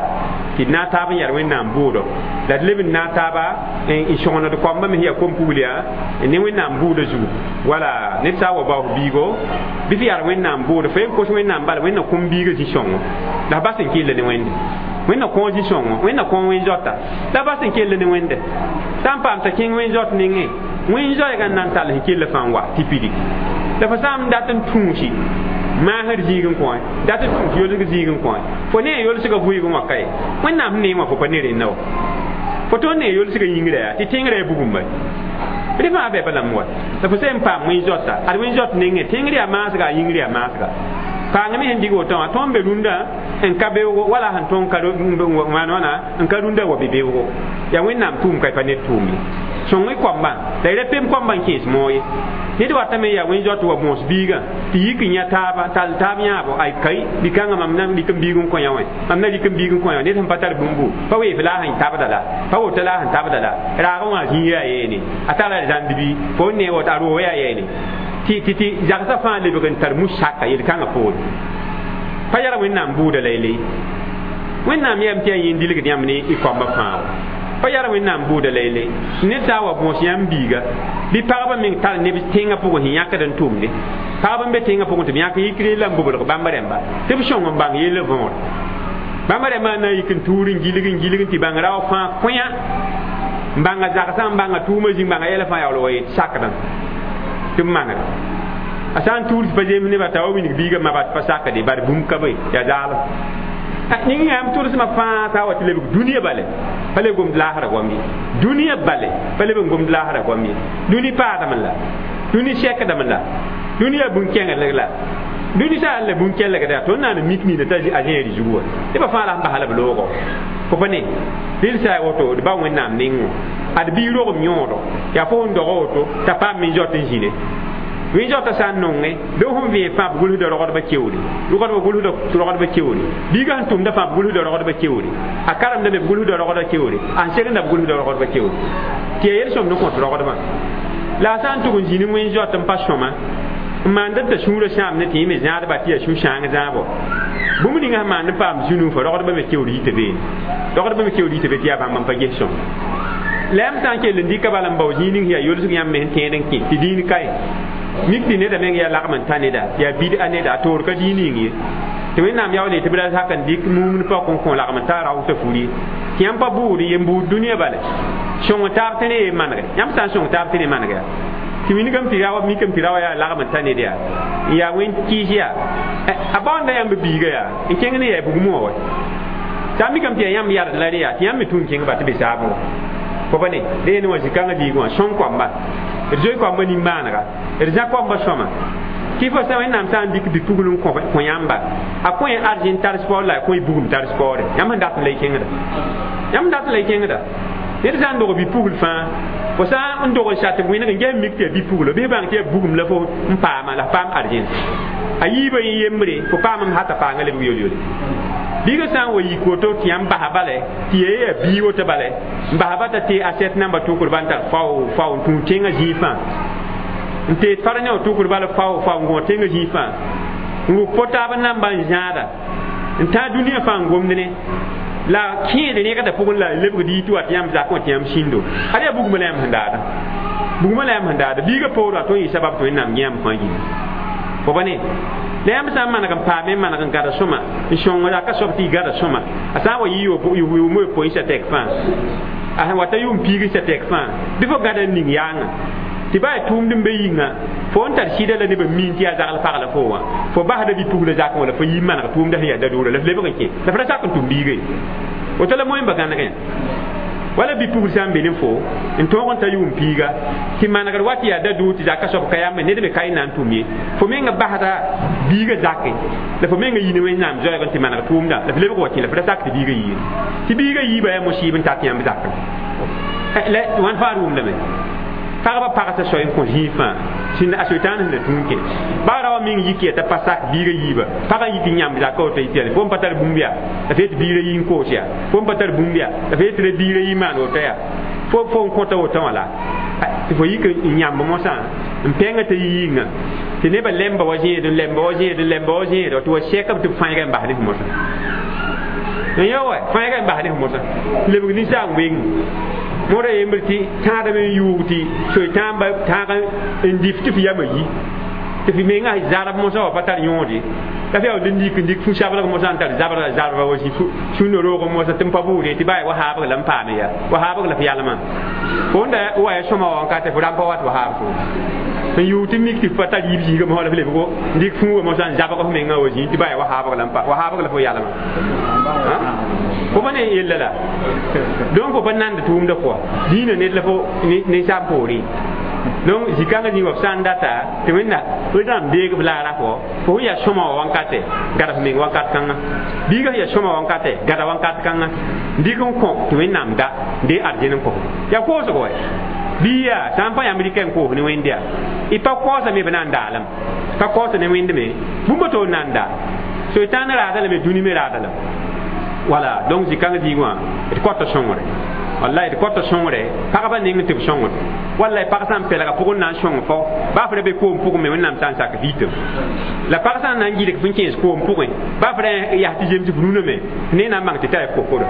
tɩ d na n taab n yar wẽnnaam bʋʋdo la d leb n na n taaba n sõgened koamba me sẽn yaa kom-pugl yaa ne wẽnnaam bʋʋda zugu wala ned sã n wa baoos biigo bɩ f yar wẽnnaam bʋʋdo fo yen kos wẽnnaam bala wẽnna kũm biigã zĩ-sõngo la f bas n kell ne wẽnde wẽnna kõo zĩ-sõngo wẽnna kõo wẽn-zoata la f bas n kell ne wẽnde sã n paam t'a kẽng wẽn-zoat nengẽ wẽn-zoɛɛgã n na n tall sẽn kell fãa n wa tɩ pidi la fo sã n dat n tũusi maasd zĩig n kõ dat n tũus yolsg zĩig n kõ fo ne yolsgã vʋɩɩgẽ wã ka ye wẽnnaam sẽn neem wã fo pa ne rẽnda wa fo tõnd ne yolsgã yĩngrã yaa tɩ tẽngrã yaa bugumba rẽ fãa bɛba lame wa la fo sẽn paam wẽn-zoata ad wẽn-zoat nengẽ tẽngr yaa maasga a yĩngr yaa maasga paang me sẽn dig woto wã tõnd be rũndã n ka beoogo wala sẽn tõnd maan wãna n ka rũndã wa be beoogo yaa wẽnnaam tʋʋm ka pa ned tʋʋm ye Sõng y koambã la y ra pem koambã n kẽes moog ye. Ned watame yaa wẽn-zoat wa bõos biigã tɩ yik n yã taaba tall taab yãabo ay kai dɩkãngã mam na rɩk n biig n kõ yã wẽ mam na rɩk n biig n kõ yã ned sẽn pa tar bũmbu pa weef la a sẽn tabda la pa woto la a sẽn tabda la raagẽ wã zĩig yaa yeene a tara zãnd bɩ fo n ne woto a roog yaa yeene tɩ tɩ zagsã fãa lebg n tar musaka yel-kãngã poore pa yara Wẽnnaam buuda la yele Wẽnnaam yam tɩ yaa yẽn dilgd yãmb ne y koambã fãa pa yara Wẽnnaam buuda la yele ned sã n wa bõos yãmb biiga bɩ pagba meng tar neb tẽngã pʋgẽ sẽn yãkd n tʋmde pagb n be tẽngã pʋgẽ tɩ b yãk yikre la n bobelg bãmb rẽmba tɩ b sõng n bãng yell võor bãmb rẽmbã na n yik n tuur n gilg n gilg tɩ bãng rao fãa kõya n bãnga zagsã n bãnga tʋʋmã zĩng bãnga yɛla fãa yaool wa yet sakdã tɩ b mangd a sã n tuur tɩ pa zems nebã t'a wa wilg biigã maba tɩ pa sakde bar bũmb ka be yaa zaalem ning yãmb tʋlsmã fãa sã wa tɩ lebg dũniyã bale pa leb gomd laasrã goam ye dũniyã bale pa leb n gomd laasrã goam ye dũni paadame la dũni sɛkdame la dũni yaa bũn-kẽngdg la dũni sã n la bũn-kẽlgda tõnd na n mik nina t'a a zẽeri zugu wã nebã fãa la sẽn basa la b loogo fo pa ne rɩl sã a woto d ba Wẽnnaam nengẽ ad bii rogem yõodo yaa fo sẽn dog woto t'a paam min-zot n zĩne wẽn-zoata sã n nonge bɩ sẽn vẽeg fãa b gʋlsda rogdbã keoore rogdbã gʋlsda rogdbã keoore biigã sẽn tʋmda fãa b gʋlsda rogdbã keoore a karemda me b gʋlsda rogdbã keoore a sẽn segenda b gʋlsda rogdbã keoore tɩ yaa yel-sõmd n kõt rogdbã la a sã n tʋg n zĩni wẽn-zoat n pa sõma n maand t'a sũurã sãam ne tɩ yẽ me zãadba tɩ yaa sũ-sãang zãabo bũmb ninga sẽn maand n paam zũ-nuufã rogdbã me keoor yita beene rogdbã me keoor yita be tɩ yaa bãmb n pa ges sõm la yãmb sã n kell n dɩka bala n bao zĩig ning yaa yolsg yãmb me sẽn tẽed n kẽ tɩ dĩin kae mik tɩ neda meng yaa lagm n ta neda yaa bid-a neda a toor ka dĩin ning ye tɩ Wẽnnaam yaool tɩ b ra sak n dɩk mumd paok n kõ lagm n ta raoosã fur ye tɩ yãmb pa buud ye n buud dũniyã bale sõng taab tɩ ne ye manege yãmb sã n sõng taab tɩ ne maneg yaa tɩ wilgame tɩ rawa mikame tɩ rawa yaa lagm n ta ned yaa n yaa wẽn kɩɩs yaa a baoonda yãmb biiga yaa n kẽng ne yaa bugmã wã wa sã n mikame tɩ yaa yãmb yard la rẽ yaa tɩ yãmb me tũ n kẽng ba tɩ be saabẽ wa fo pa ne reene wã zĩ-kãngã diigẽ wã sõng koamba d zoe koamba nimbãanega d zã koamba sõma tɩ fo sã Wẽnnaam sã n dɩk bi-pugl n kõ yãmba a kõ y arzẽn tar spaoor la a kõ y bugum tar spaoore yãmb sẽn dat n la y kẽngda yãmb dat n la y kẽngda ned sã n dog bi-pugl fãa fo sã n dog n sat wẽneg n ges mik tɩ yaa bi-puglo bɩ bãng tɩ yaa bugum la fo n paama la f paam arzẽn a yiibã yẽ yembre fo paamame hata paanga lebg yol-yole biigã sã n wa yik woto tɩ yãmb basa bala tɩ yaa yaa bii woto bala n basa ba t'a tee asɛt namba tʋkr ba n tar fao fao n tũu tẽngã zĩig fãa n teed fara ne wã tʋkr bala fao fao n gõ tẽngã zĩig fãa n wʋk po-taab namba n zãada n tãag dũniyã fãa n gomd ne la kẽed rẽgda pʋgẽ la lebgd yit wa tɩ yãmb zakẽ wã tɩ yãmb sĩndo ad yaa bugmã la yãmb sẽn daada bugmã la yãmb sẽn daada biigã poor wa tõe n yɩ sabab tɩ Wẽnnaam yãmb fãa yĩnga fo pa ne la yãmb sã n maneg n paame n maneg n gada sõma n sõng raka soab tɩ y gada sõma a sã n wa yɩ yʋʋm yopoe sã tɛk fãa a sẽn wa ta yʋʋm piig sã tɛk fãa bɩ fo gada n ning yaangã tɩ ba yaa tʋʋmd n be yĩnga fo n tar sɩda la nebã miin tɩ yaa zagl pagla fo wã fo basda bi-pugla zakẽ wala fo yi maneg tʋʋmda sẽn yaa da-doora la f lebg n kẽ la f ra sak n tʋm biiga ye woto la moẽmba gãnegẽ wala bi-pugl sã n be ne fo n tõog n ta yʋʋm piiga tɩ manegr wa tɩ yaa da-doog tɩ zaka soab ka yambe ned me ka y na n tʋm ye fo menga basda biigã zake la fo menga yi ne Wẽnnaam zoɛɛg n tɩ maneg tʋʋmdã la f lebg wa kẽ la f ra sak tɩ biigã yii tɩ biigã yiibã yaa mosiib n tat yãmb zakẽ la wãn fãa d wʋmdame pagba pagsã soay n kõ zĩig fãa sẽn a soetãan sẽn na tũun kẽ baa ra wa meng yik yaa t'a pa sak biigã yiiba pagã yik n yãmb zaka woto yit yaa fo n pa tar bũmb yaa la f yet biirã yi n koos yaa fo n pa tar bũmb yaa la f yet tɩ biirã yi maan woto yaa fo fo n kõta woto wã la tɩ fo yik n yãmb mosã n pẽngã t'a yi yĩnga tɩ nebã lemba wa zẽed n lemba wa zẽed n lemba wa zẽed tɩ wa sɛkb tɩ b fãeega n bas ne f mosã n ya wa fãeega n bas ne f mosã lebg ninsaam weng mõra yembr tɩ tãadame n yuug tɩ soe-tãamba tãag n dif tɩ f yamã yi tɩ f mengã zarb mosã wa pa tar yõod ye la f yaool n dik n dɩk fu-sablg mosã n tar zabra zarba wa zĩ sũnã roog mosã tɩ n pa buud ye tɩ baa wa haabg la n paame ya wa haabg la f yalmã fo n da wa ya sõma wa n ka tɩ fo rãmb pa wat wa haab so n yuug tɩ mik tɩ f pa tar yiib zĩigã mosã la f lebgo n dɩk fũuga mosã n zabg f mengã wa zĩ tɩ baa wa haabg la n pa wa haabg la fo yalmã fo pa ne yella la donc fo pa nand tʋʋmdã pʋga dĩinã ned la fo ninsaam poorẽ donc zĩ-kãngã zĩig wa f sã n data tɩ Wẽnna Wẽnnaam deeg b laara fo fo sẽn yaa sõma wã wankatɛ gada f meng wakat kãngã biigã sẽn yaa sõma wankatɛ gada wakat kãngã n dɩk n kõ tɩ Wẽnnaam da n dee arzẽn n kõ yaa koosgo wɛ Bɩ yaa sã n pa yãmb rɩka n koos ne wẽnd yaa y pa kaoosa me b na n daalame pa kaoosa ne wẽnd me bũmb to n na n daal soitan raada lame dũni me raada lame wala donc zĩ-kãng zĩig wã d kõta sõngre wallahi d kõta sõngre pagba neng tɩ b sõngd wallahi pag sã n pɛlga pʋgẽ na n sõng fo baa f ra be koom pʋgẽ me wẽnnaam sã n sak vɩɩtem la pag sã n na n gɩdg f n kẽes koom pʋgẽ baa f ra yaa tɩ zems f rũnã me ne na n bãng tɩ tara kokoda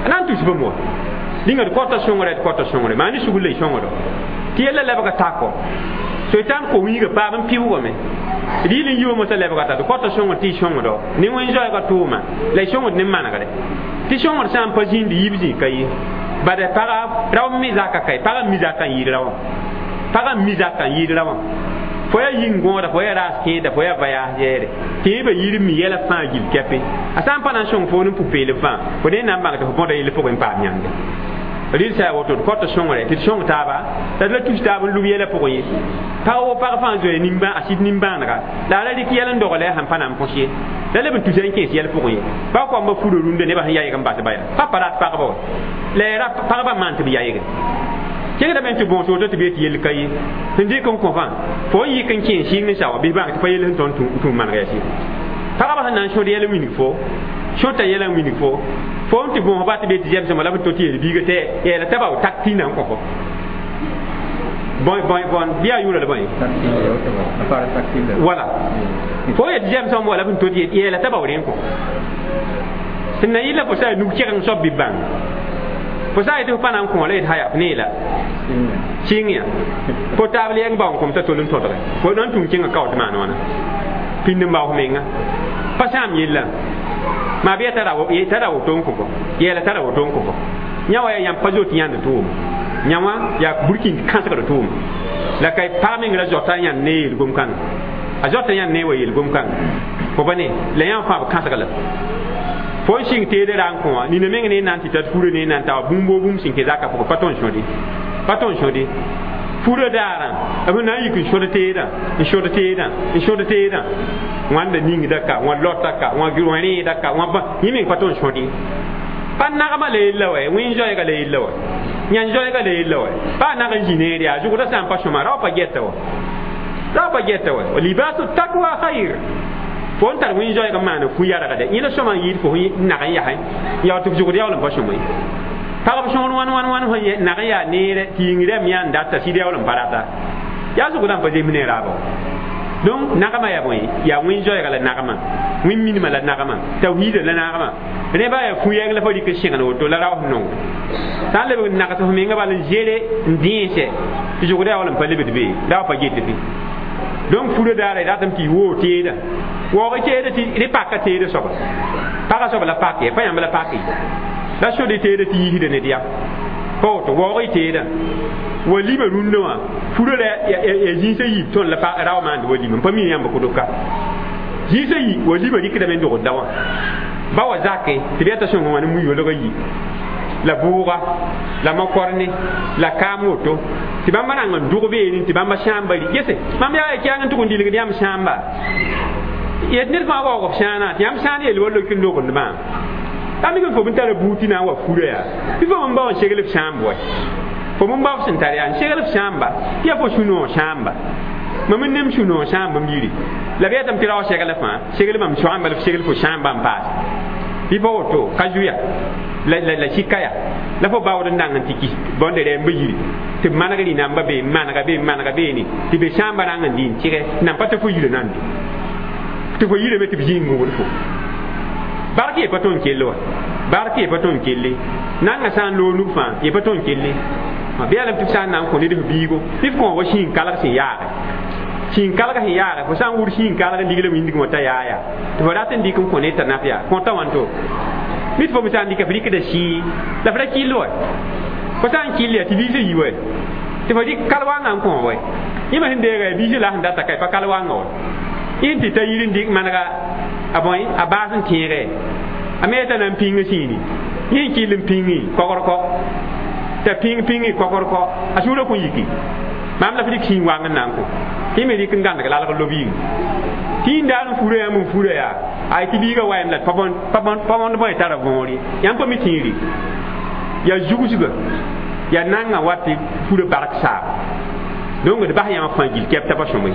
a na n tus bãmb wa rĩnga d kõta sõngre d kõta sõngre maa ne sugr la y sõngdo tɩ yella lebga tako soitan ko wiiga paam n pɩʋgame d yɩl n yi wa mosã lebga ta d kõta sõngr tɩ y sõngdo ne wẽn-zoɛɛgã tʋʋma la y sõngd ne manegre tɩ sõngr sã n pa zĩnd yiib zĩ ka ye bada paga rao mi zaka kai paga mi zaka yir rawa paga mi zaka yir rawa fo ya yin gõoda fo ya raas kẽeda fo ya vayaas yɛɛre tɩ b yir mi yɛla fãa gil kɛpẽ a sã n pa na n sõng fo ne pʋ-peelem fãa fo ne na n bãng tɩ fo bõda yell pʋgẽ n paam yãnde rɩl sã a woto d kõta sõngre tɩ d sõng taaba la d la tus taab n lub yɛla pʋgẽ ye pag wo pag fãa zoe a sɩd nimbãanega la a ra rɩk yɛl n dogl a sẽn pa na n põs ye la leb n tusa n kẽes yɛl pʋgẽ ye ba koamba fura rũndã nebã sẽn yaɩg n bas ba yaa pa pa rat pagba wa la ya pagba maan tɩ b yaɩge kẽngdame tɩ bõos woto tɩ b yet yell ka ye sẽn dɩk n kõ fãa fo n yik n kẽes sɩng n sawa bɩ bãng tɩ pa yell sẽn tõnd tũum manega yaa sɩ pagba sẽn na n sõd yɛl n wilg fo sõta yɛla n wilg fo fo n tɩ bõos ba tɩ be tɩ zɛmsẽma la b to tɩ yel biiga tɩ yɛɛla t'a bao tak tɩ na n kõ fo bõe bõe bõn bɩ a yʋʋra la bõe wala fo yet zɛmsẽm wala b n to tɩ yɛɛla t'a bao rẽ n kõ sẽn na yɩla fo sa a nug kɛgeng soab bɩ bãng fo sã n yetɩ fo pa na n kõ la yet haya f neela sɩng ya fo taab la yɛng bao n kom t'a tol n tõdge fo na n tũu kẽngã kao tɩ maan wãna pĩnd n bao f menga pa sãam yella maa bɩ yaa tara woto n kõ fo yɛɛla tara woto n kõ fo yã wa yaa yãmb pa zoet yãnd tʋʋma yã wã yaa burkĩnd kãsgd tʋʋma la ka pag meng ra zoata yãnd ne yel-gom kãnga a zoata yãnd ne wa yel-gom kãnga fo pa ne la yã fãa b kãsg la fo n sɩng teedã ra n kõ wã nina meng ne n na n tɩ tat furã ne n na n ta wa bũmb o bũmb sẽn kẽ zakã pʋgẽ pa tõnd sõde pa tõnd sõde furã daarã b na n yik n sõd teedã n sõd teedã n sõd teedã wãnda ningda ka wã lota ka wã rẽeda ka wã yẽ meng pa tõnd sõd ye pa nagmã la yella wa wẽn-zoɛɛga la yella wa yãn-zoɛɛga la yella wa pa nag n zĩ neer yaa zʋgdã sã n pa sõma rao pa gɛta wa rao pa gɛta wa libasu takwa khayr fo n tar wẽn-zoɛɛg n maan fu yargde yẽ la sõma n yɩɩd fo n nag n yasẽ yaa tɩ f zʋgd yaool n pa sõma ye pagb sõor wãn wãn wãn sẽn nag n yaa neere tɩ yĩng rɛm yã n data sɩd yaool n pa rata yaa zʋgdã n pa zems ne raaba donc nagmã yaa bõe yaa wẽn-zoɛɛga la nagmã wẽn-minimã la nagmã tawhiidã la nagmã rẽba yaa fu-yɛng la fo rɩk n segn woto la raoos nongo sã n lebg n nags f menga bal n zere n dẽese tɩ zʋgdã yaool n pa lebd be ra pa get bɩ donc furã daara y ratame tɩ y woog teedã waoog teedã tɩ rẽ paka teedã soaba pagã soab la pak ye pa yãmb la pak ye la sod y teedã tɩ yiisda ned yam pa woto waoog y teedã wa lima rũndã wã furã la ya zĩisã yiib tõnd la rao maand wa lima n pa mi yãmb kʋdb ka zĩisã yi wa lima rɩkdame n dogd da wã ba wa zake tɩ b yaa t'a sõng wã ne mu-yoolgã yi la bʋʋga la mokorne la kaam woto tɩ bãmba rãng n dʋg beene tɩ bãmba sãamba rɩ gese mam yaa kɛang n tʋg n dilgd yãmb sãamba yet ned fãa waoog f sãanã tɩ yãmb sãan yel wa lok n logndmã t'a mik n fo n tara buud tɩ na n wa furã yaa bɩ fo n bao n segl f sãamb wa fo n bao f sẽn tar yaa n segl f sãamba tɩ yaa fo sũ-noog sãamba mam n nem sũ-noog sãamb m yiri la b yetame tɩ rao segl fãa segl mam soaamba la f segl fo sãamba n paase bɩ pa woto ka zuya la la la sika ya la fo baood n dang n tɩ kis bõnde rɛɛmba yiri tɩ b maneg rĩnamba be n manega be n manega beene tɩ be sãamba rãng n dɩ n tɩgɛ nan pa tɩ fo yirã nan tɩ fo yirame tɩ b zĩig gũud fo bark ye pa tõnd kell wa bark ye pa tõnd kelle nangã sã n loog nug fãa ye pa tõnd kelle bɩ yaa lame tɩ b sã n na n kõ ned f biigo bɩ f kõ wa sĩig kalg sẽn yaage sĩig kalg sẽn yaage fo sã n wʋd sĩig kalg n ligl wĩndgẽ wã t'a yaa yaa tɩ fo rat n dɩk n kõ ned t'a naf yaa kõta wãnto mit fo me sã n dɩka f rɩkda sĩig la f ra kɩll wa fo sã n kɩll yaa tɩ biisã yi wa tɩ fo dɩk kal wãngã n kõ wa yẽma sẽn deega yaa biisã la sẽn data ka pa kal wãngã wa yẽ tɩ ta yir n dɩk manega a bõe a baas n tẽege a me t'a na n pĩng sĩini yẽ n kɩll n pĩngi kogr-kɔ t'a pĩng pĩngi kogr-kɔ a sũurã kõn yiki maam la f rɩk sĩig wang n na n kõ tɩ me rɩk n gãndg lalg lob yĩng tɩ n daar n furã yãmb n furã yaa ay tɩ biigã wayam la pa bõnd bõe tara võor ye yãmb pa mi tĩiri yaa zugsga Yaa nanga wat tɩ furã bark saab donc d bas yãmb fãa gil kɛp t'a pa sõme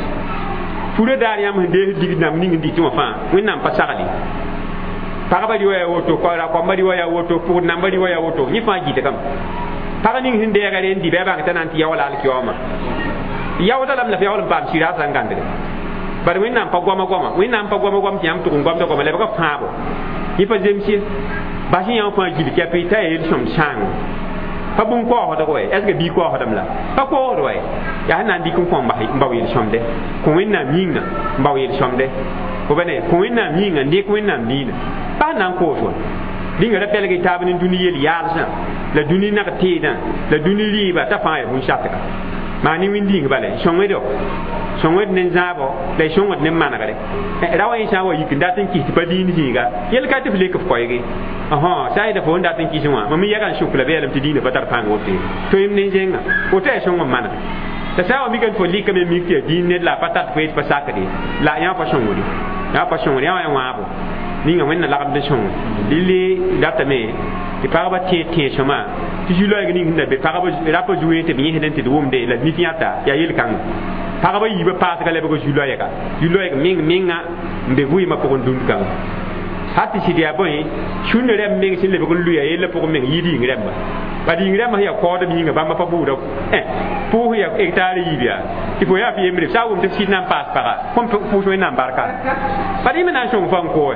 furã daar yãmb sẽn dees digd nãmb ning n dɩtẽ wã fãa Wẽnnaam pa sagle pagba rɩ wa yaa woto ra-koamba rɩ wa yaa woto pʋgd namba rɩ wa yaa woto yẽ fãa gɩtgame pag ning sẽn deega re n dɩ bɩ a bãng t'a na n tɩ yaoola alkiyaoomã yaooda lame la f yaool n paam sɩraasã n gãndge bad Wẽnnaam pa goama goama Wẽnnaam pa goama goam tɩ yãmb tʋg n goamda goama lebga fãabo yẽ pa zems ye bas yãmb fãa gil kɛpɩ t'a yaa yel-sõmd sãango pa bũmb kaoosdg wɛ est ce que bii kaoosdame la pa kaoosd wɛ yaa sẽn na n dɩk n kõ n bao yel-sõmde kõ Wẽnnaam yĩnga n bao yel-sõmde fo ba ne kõ Wẽnnaam yĩnga n dɩk Wẽnnaam diinã pa sẽn na n koos wa rĩnga ra pɛlg y taab ne dũni yel-yaalsã la dũni nag teedã la dũni rɩɩba t'a fãa yaa bũn-satga maa ne wĩnd-yĩng bala sõngdo sõngd ne zãabo la y sõngd ne manegre ra wa yẽ sã n wa yik n dat n kis tɩ pa diin zĩiga yel ka tɩ f lek f koɛɛge sã n yeta fo n dat n kis wã mam yɛga n sʋk la beelame tɩ diinã pa tar pãng woto ye toeem ne zẽnga woto yaa sõng n maneg la sã n wa mikame tɩ fo lɩkame mik tɩ yaa diin ned la a pa tat fo yet pa sakde la yã pa sõngde yã pa sõngde yã wa yaa wãabo ninga Wẽnna lagmd n sõnge lili datame tɩ pagba tẽed tẽed-sõma tɩ zu-loɛɛg ning sẽn da be pagba rapa zuẽ tɩ b yẽsd n tɩ d wʋmde la d nif yãta yaa yel-kãnga pagba yiibã paasga lebg zu-loɛɛga zu-loɛɛg meng menga n be vɩɩmã pʋgẽ dũnd kãnga hal tɩ sɩd yaa bõe sũnd rɛm meng sẽn lebg n luya yellã pʋgẽ meng yɩɩd yĩng rɛmba bad yĩng rɛmbã sẽn yaa kaoodem yĩnga bãmba pa bʋʋda pʋʋs yaa hectare yiib yaa tɩ fo yaa f yembre sã n wʋm tɩ f sɩd na n paas paga kõn pʋʋs Wẽnnaam barka bad yẽ me na n sõng fa n koe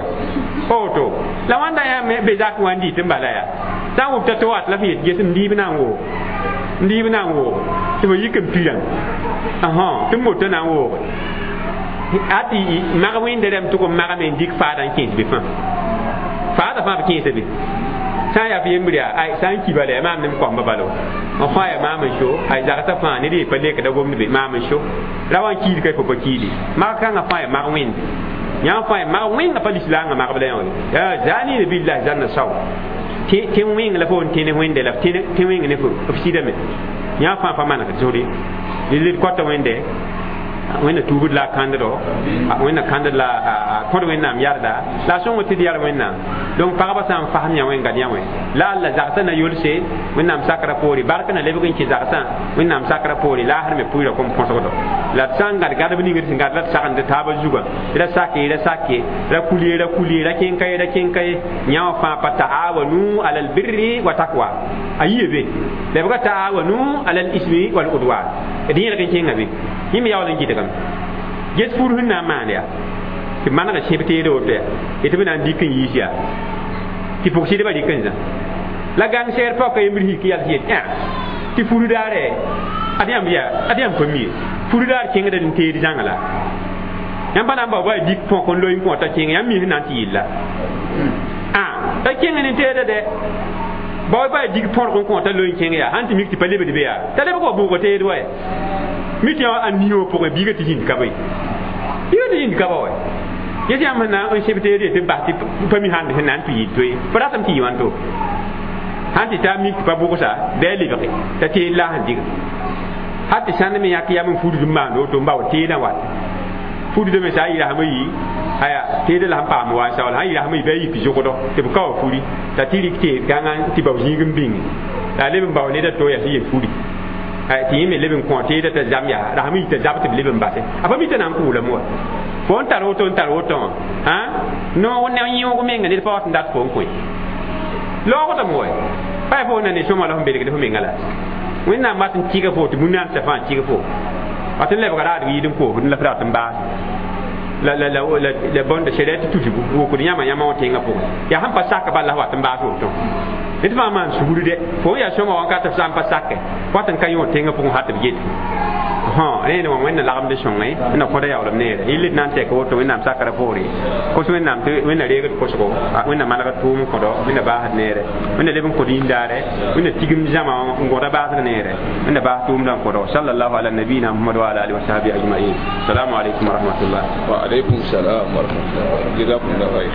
pa woto la wãnda yã be zak wã n dɩt n bala yaa sã n wʋm t'a to wat la f yet ges n diib na n woog n diib na n woog tɩ fo yik n pirã tɩ moto na n wooge ati mag wẽnda rɛm tʋg n magame n dɩk faada n kẽes be fãa faada fãa b kẽesa be sã n yaa f yembr yaa ay sã n ki bala yaa maam nem koamba bala n fãa yaa maam n so ay zagsã fãa ned ye pa lekda gomd be maam n so ra wa n kiid ka fo pa kiide mag kãngã fãa yaa mag wẽnde yã fãa yaa mag wẽnga pa lislaangã magb la yã zaniina billahi zanna sao tɩ wẽng la fo n tẽne wẽnde la tɩ wẽng ne f sɩdame yã fãa pa manegd zʋre lil kota wẽnde wẽnna tuubd la a kãnddo wẽnna kãndd la a kõd Wẽnnaam yarda la a sõng tɩ d yar Wẽnnaam donc pagba sã n fasem yã wẽn gad yã wẽ la alla zagsã na yolse Wẽnnaam sakra poore bark na lebg n kẽ zagsã Wẽnnaam sakra poore laasr me pʋɩra kom põsgdo la d sã n gad gadb ning d sẽn gad la d sagend taabã zugã ra sake ra sake ra kulie ra kulie ra kẽn ka ye ra kẽn ka ye yã wã fãa pa taawanu ala albirri wa takwa a yie be lebga taawanu ala alismi wal udwan d yẽlg n kẽnga be yẽ me yaool n gɩdgame ges fur sẽn na n maan yaa tɩ manega sẽb teede woto yaa tɩ b na n dɩk n yiis yaa tɩ pʋg-sɩdbã rɩk n zã la gãng sɛɛr paoka yembr hik yals yet tɩ furu daare ad yãmb yaa ad yãmb pa mi ye furu daar kẽngda n teed zãnga la yãmb pa na n bao ba dɩk põk n loe n kõ t'a kẽng yãmb mi sẽn na n tɩ yilla t'a kẽng ne teeda dɛ bao ba dɩk põrg n kõ t'a loe n kẽng yaa sãn tɩ mik tɩ pa lebd be yaa t'a lebg wa bʋʋga teed wa mi tɩ a nioo pʋgẽ biiga tɩ zĩnd ka bõe biiga tɩ zĩnd ka ba wa yes yãmb sẽn na n sẽb teed ye tɩ bas tɩ pa mi sãnd sẽn na n tɩ yɩl toe pa ratame tɩ yɩ wãnto sãn tɩ taa mik tɩ pa bʋgsa bɩ a lebge t'a teed la sẽn dɩga hal tɩ sãnd me yãk yam n fudd n maand woto n bao teedã wat fudda me sã n yɩ rasem yi aya teedã la sẽn paam wa n saool sãn yɩ rasem yi bɩ a yik zʋgdɔ tɩ b ka wa furi t'a tɩ rɩk teed kãngã tɩ bao zĩig n bĩnge la a leb n bao ned a to yaa sẽn yel furi tɩ yẽ me leb n kõ teedã t'a zam yaa rasem yi t'a zab tɩ b leb n base a pa mi t'a na n kʋʋlame wa fo n tar woto n tar woto wã noog ne yẽoog menga ned pa wat n dat fo n koe laoogdame wa pa yaa fo na ne sõma la fo belgd fo menga la Wẽnnaam wat n tɩga fo tɩ bũn-naamsã fãa tɩg fo wat n lebga raadg yɩɩd n koosd la f rat n baase la la la la la bõnda sɛrɛt tusgu wokd yãma yãma wã tẽngã pʋgẽ yaa sẽn pa sak bala wat n baas woto ned fãa maan sugr dɛ fo n yaa sõma wãnkat f sã n pa sake wat n ka yõ tẽngã pʋgẽ hat b yet rẽene wã Wẽnna lagmd sõngẽ wẽnna kõda yaoolem neere yɩl d na n tɛk woto Wẽnnaam sakra poore kos Wẽnnaam tɩ Wẽnna reegd kosgo Wẽnna manegd tʋʋm n kõdo Wẽnna baasd neere Wẽnna leb n kõd yĩndaare Wẽnna tigim zãma n gõda baasg neere Wẽnna baas tʋʋmdã n kõdo sallallahu ala nabiyina Muhammad wa ala alihi wa sahbihi ajma'in assalamu alaikum wa rahmatullah wa alaikum salam wa rahmatullah jazakumullahu khair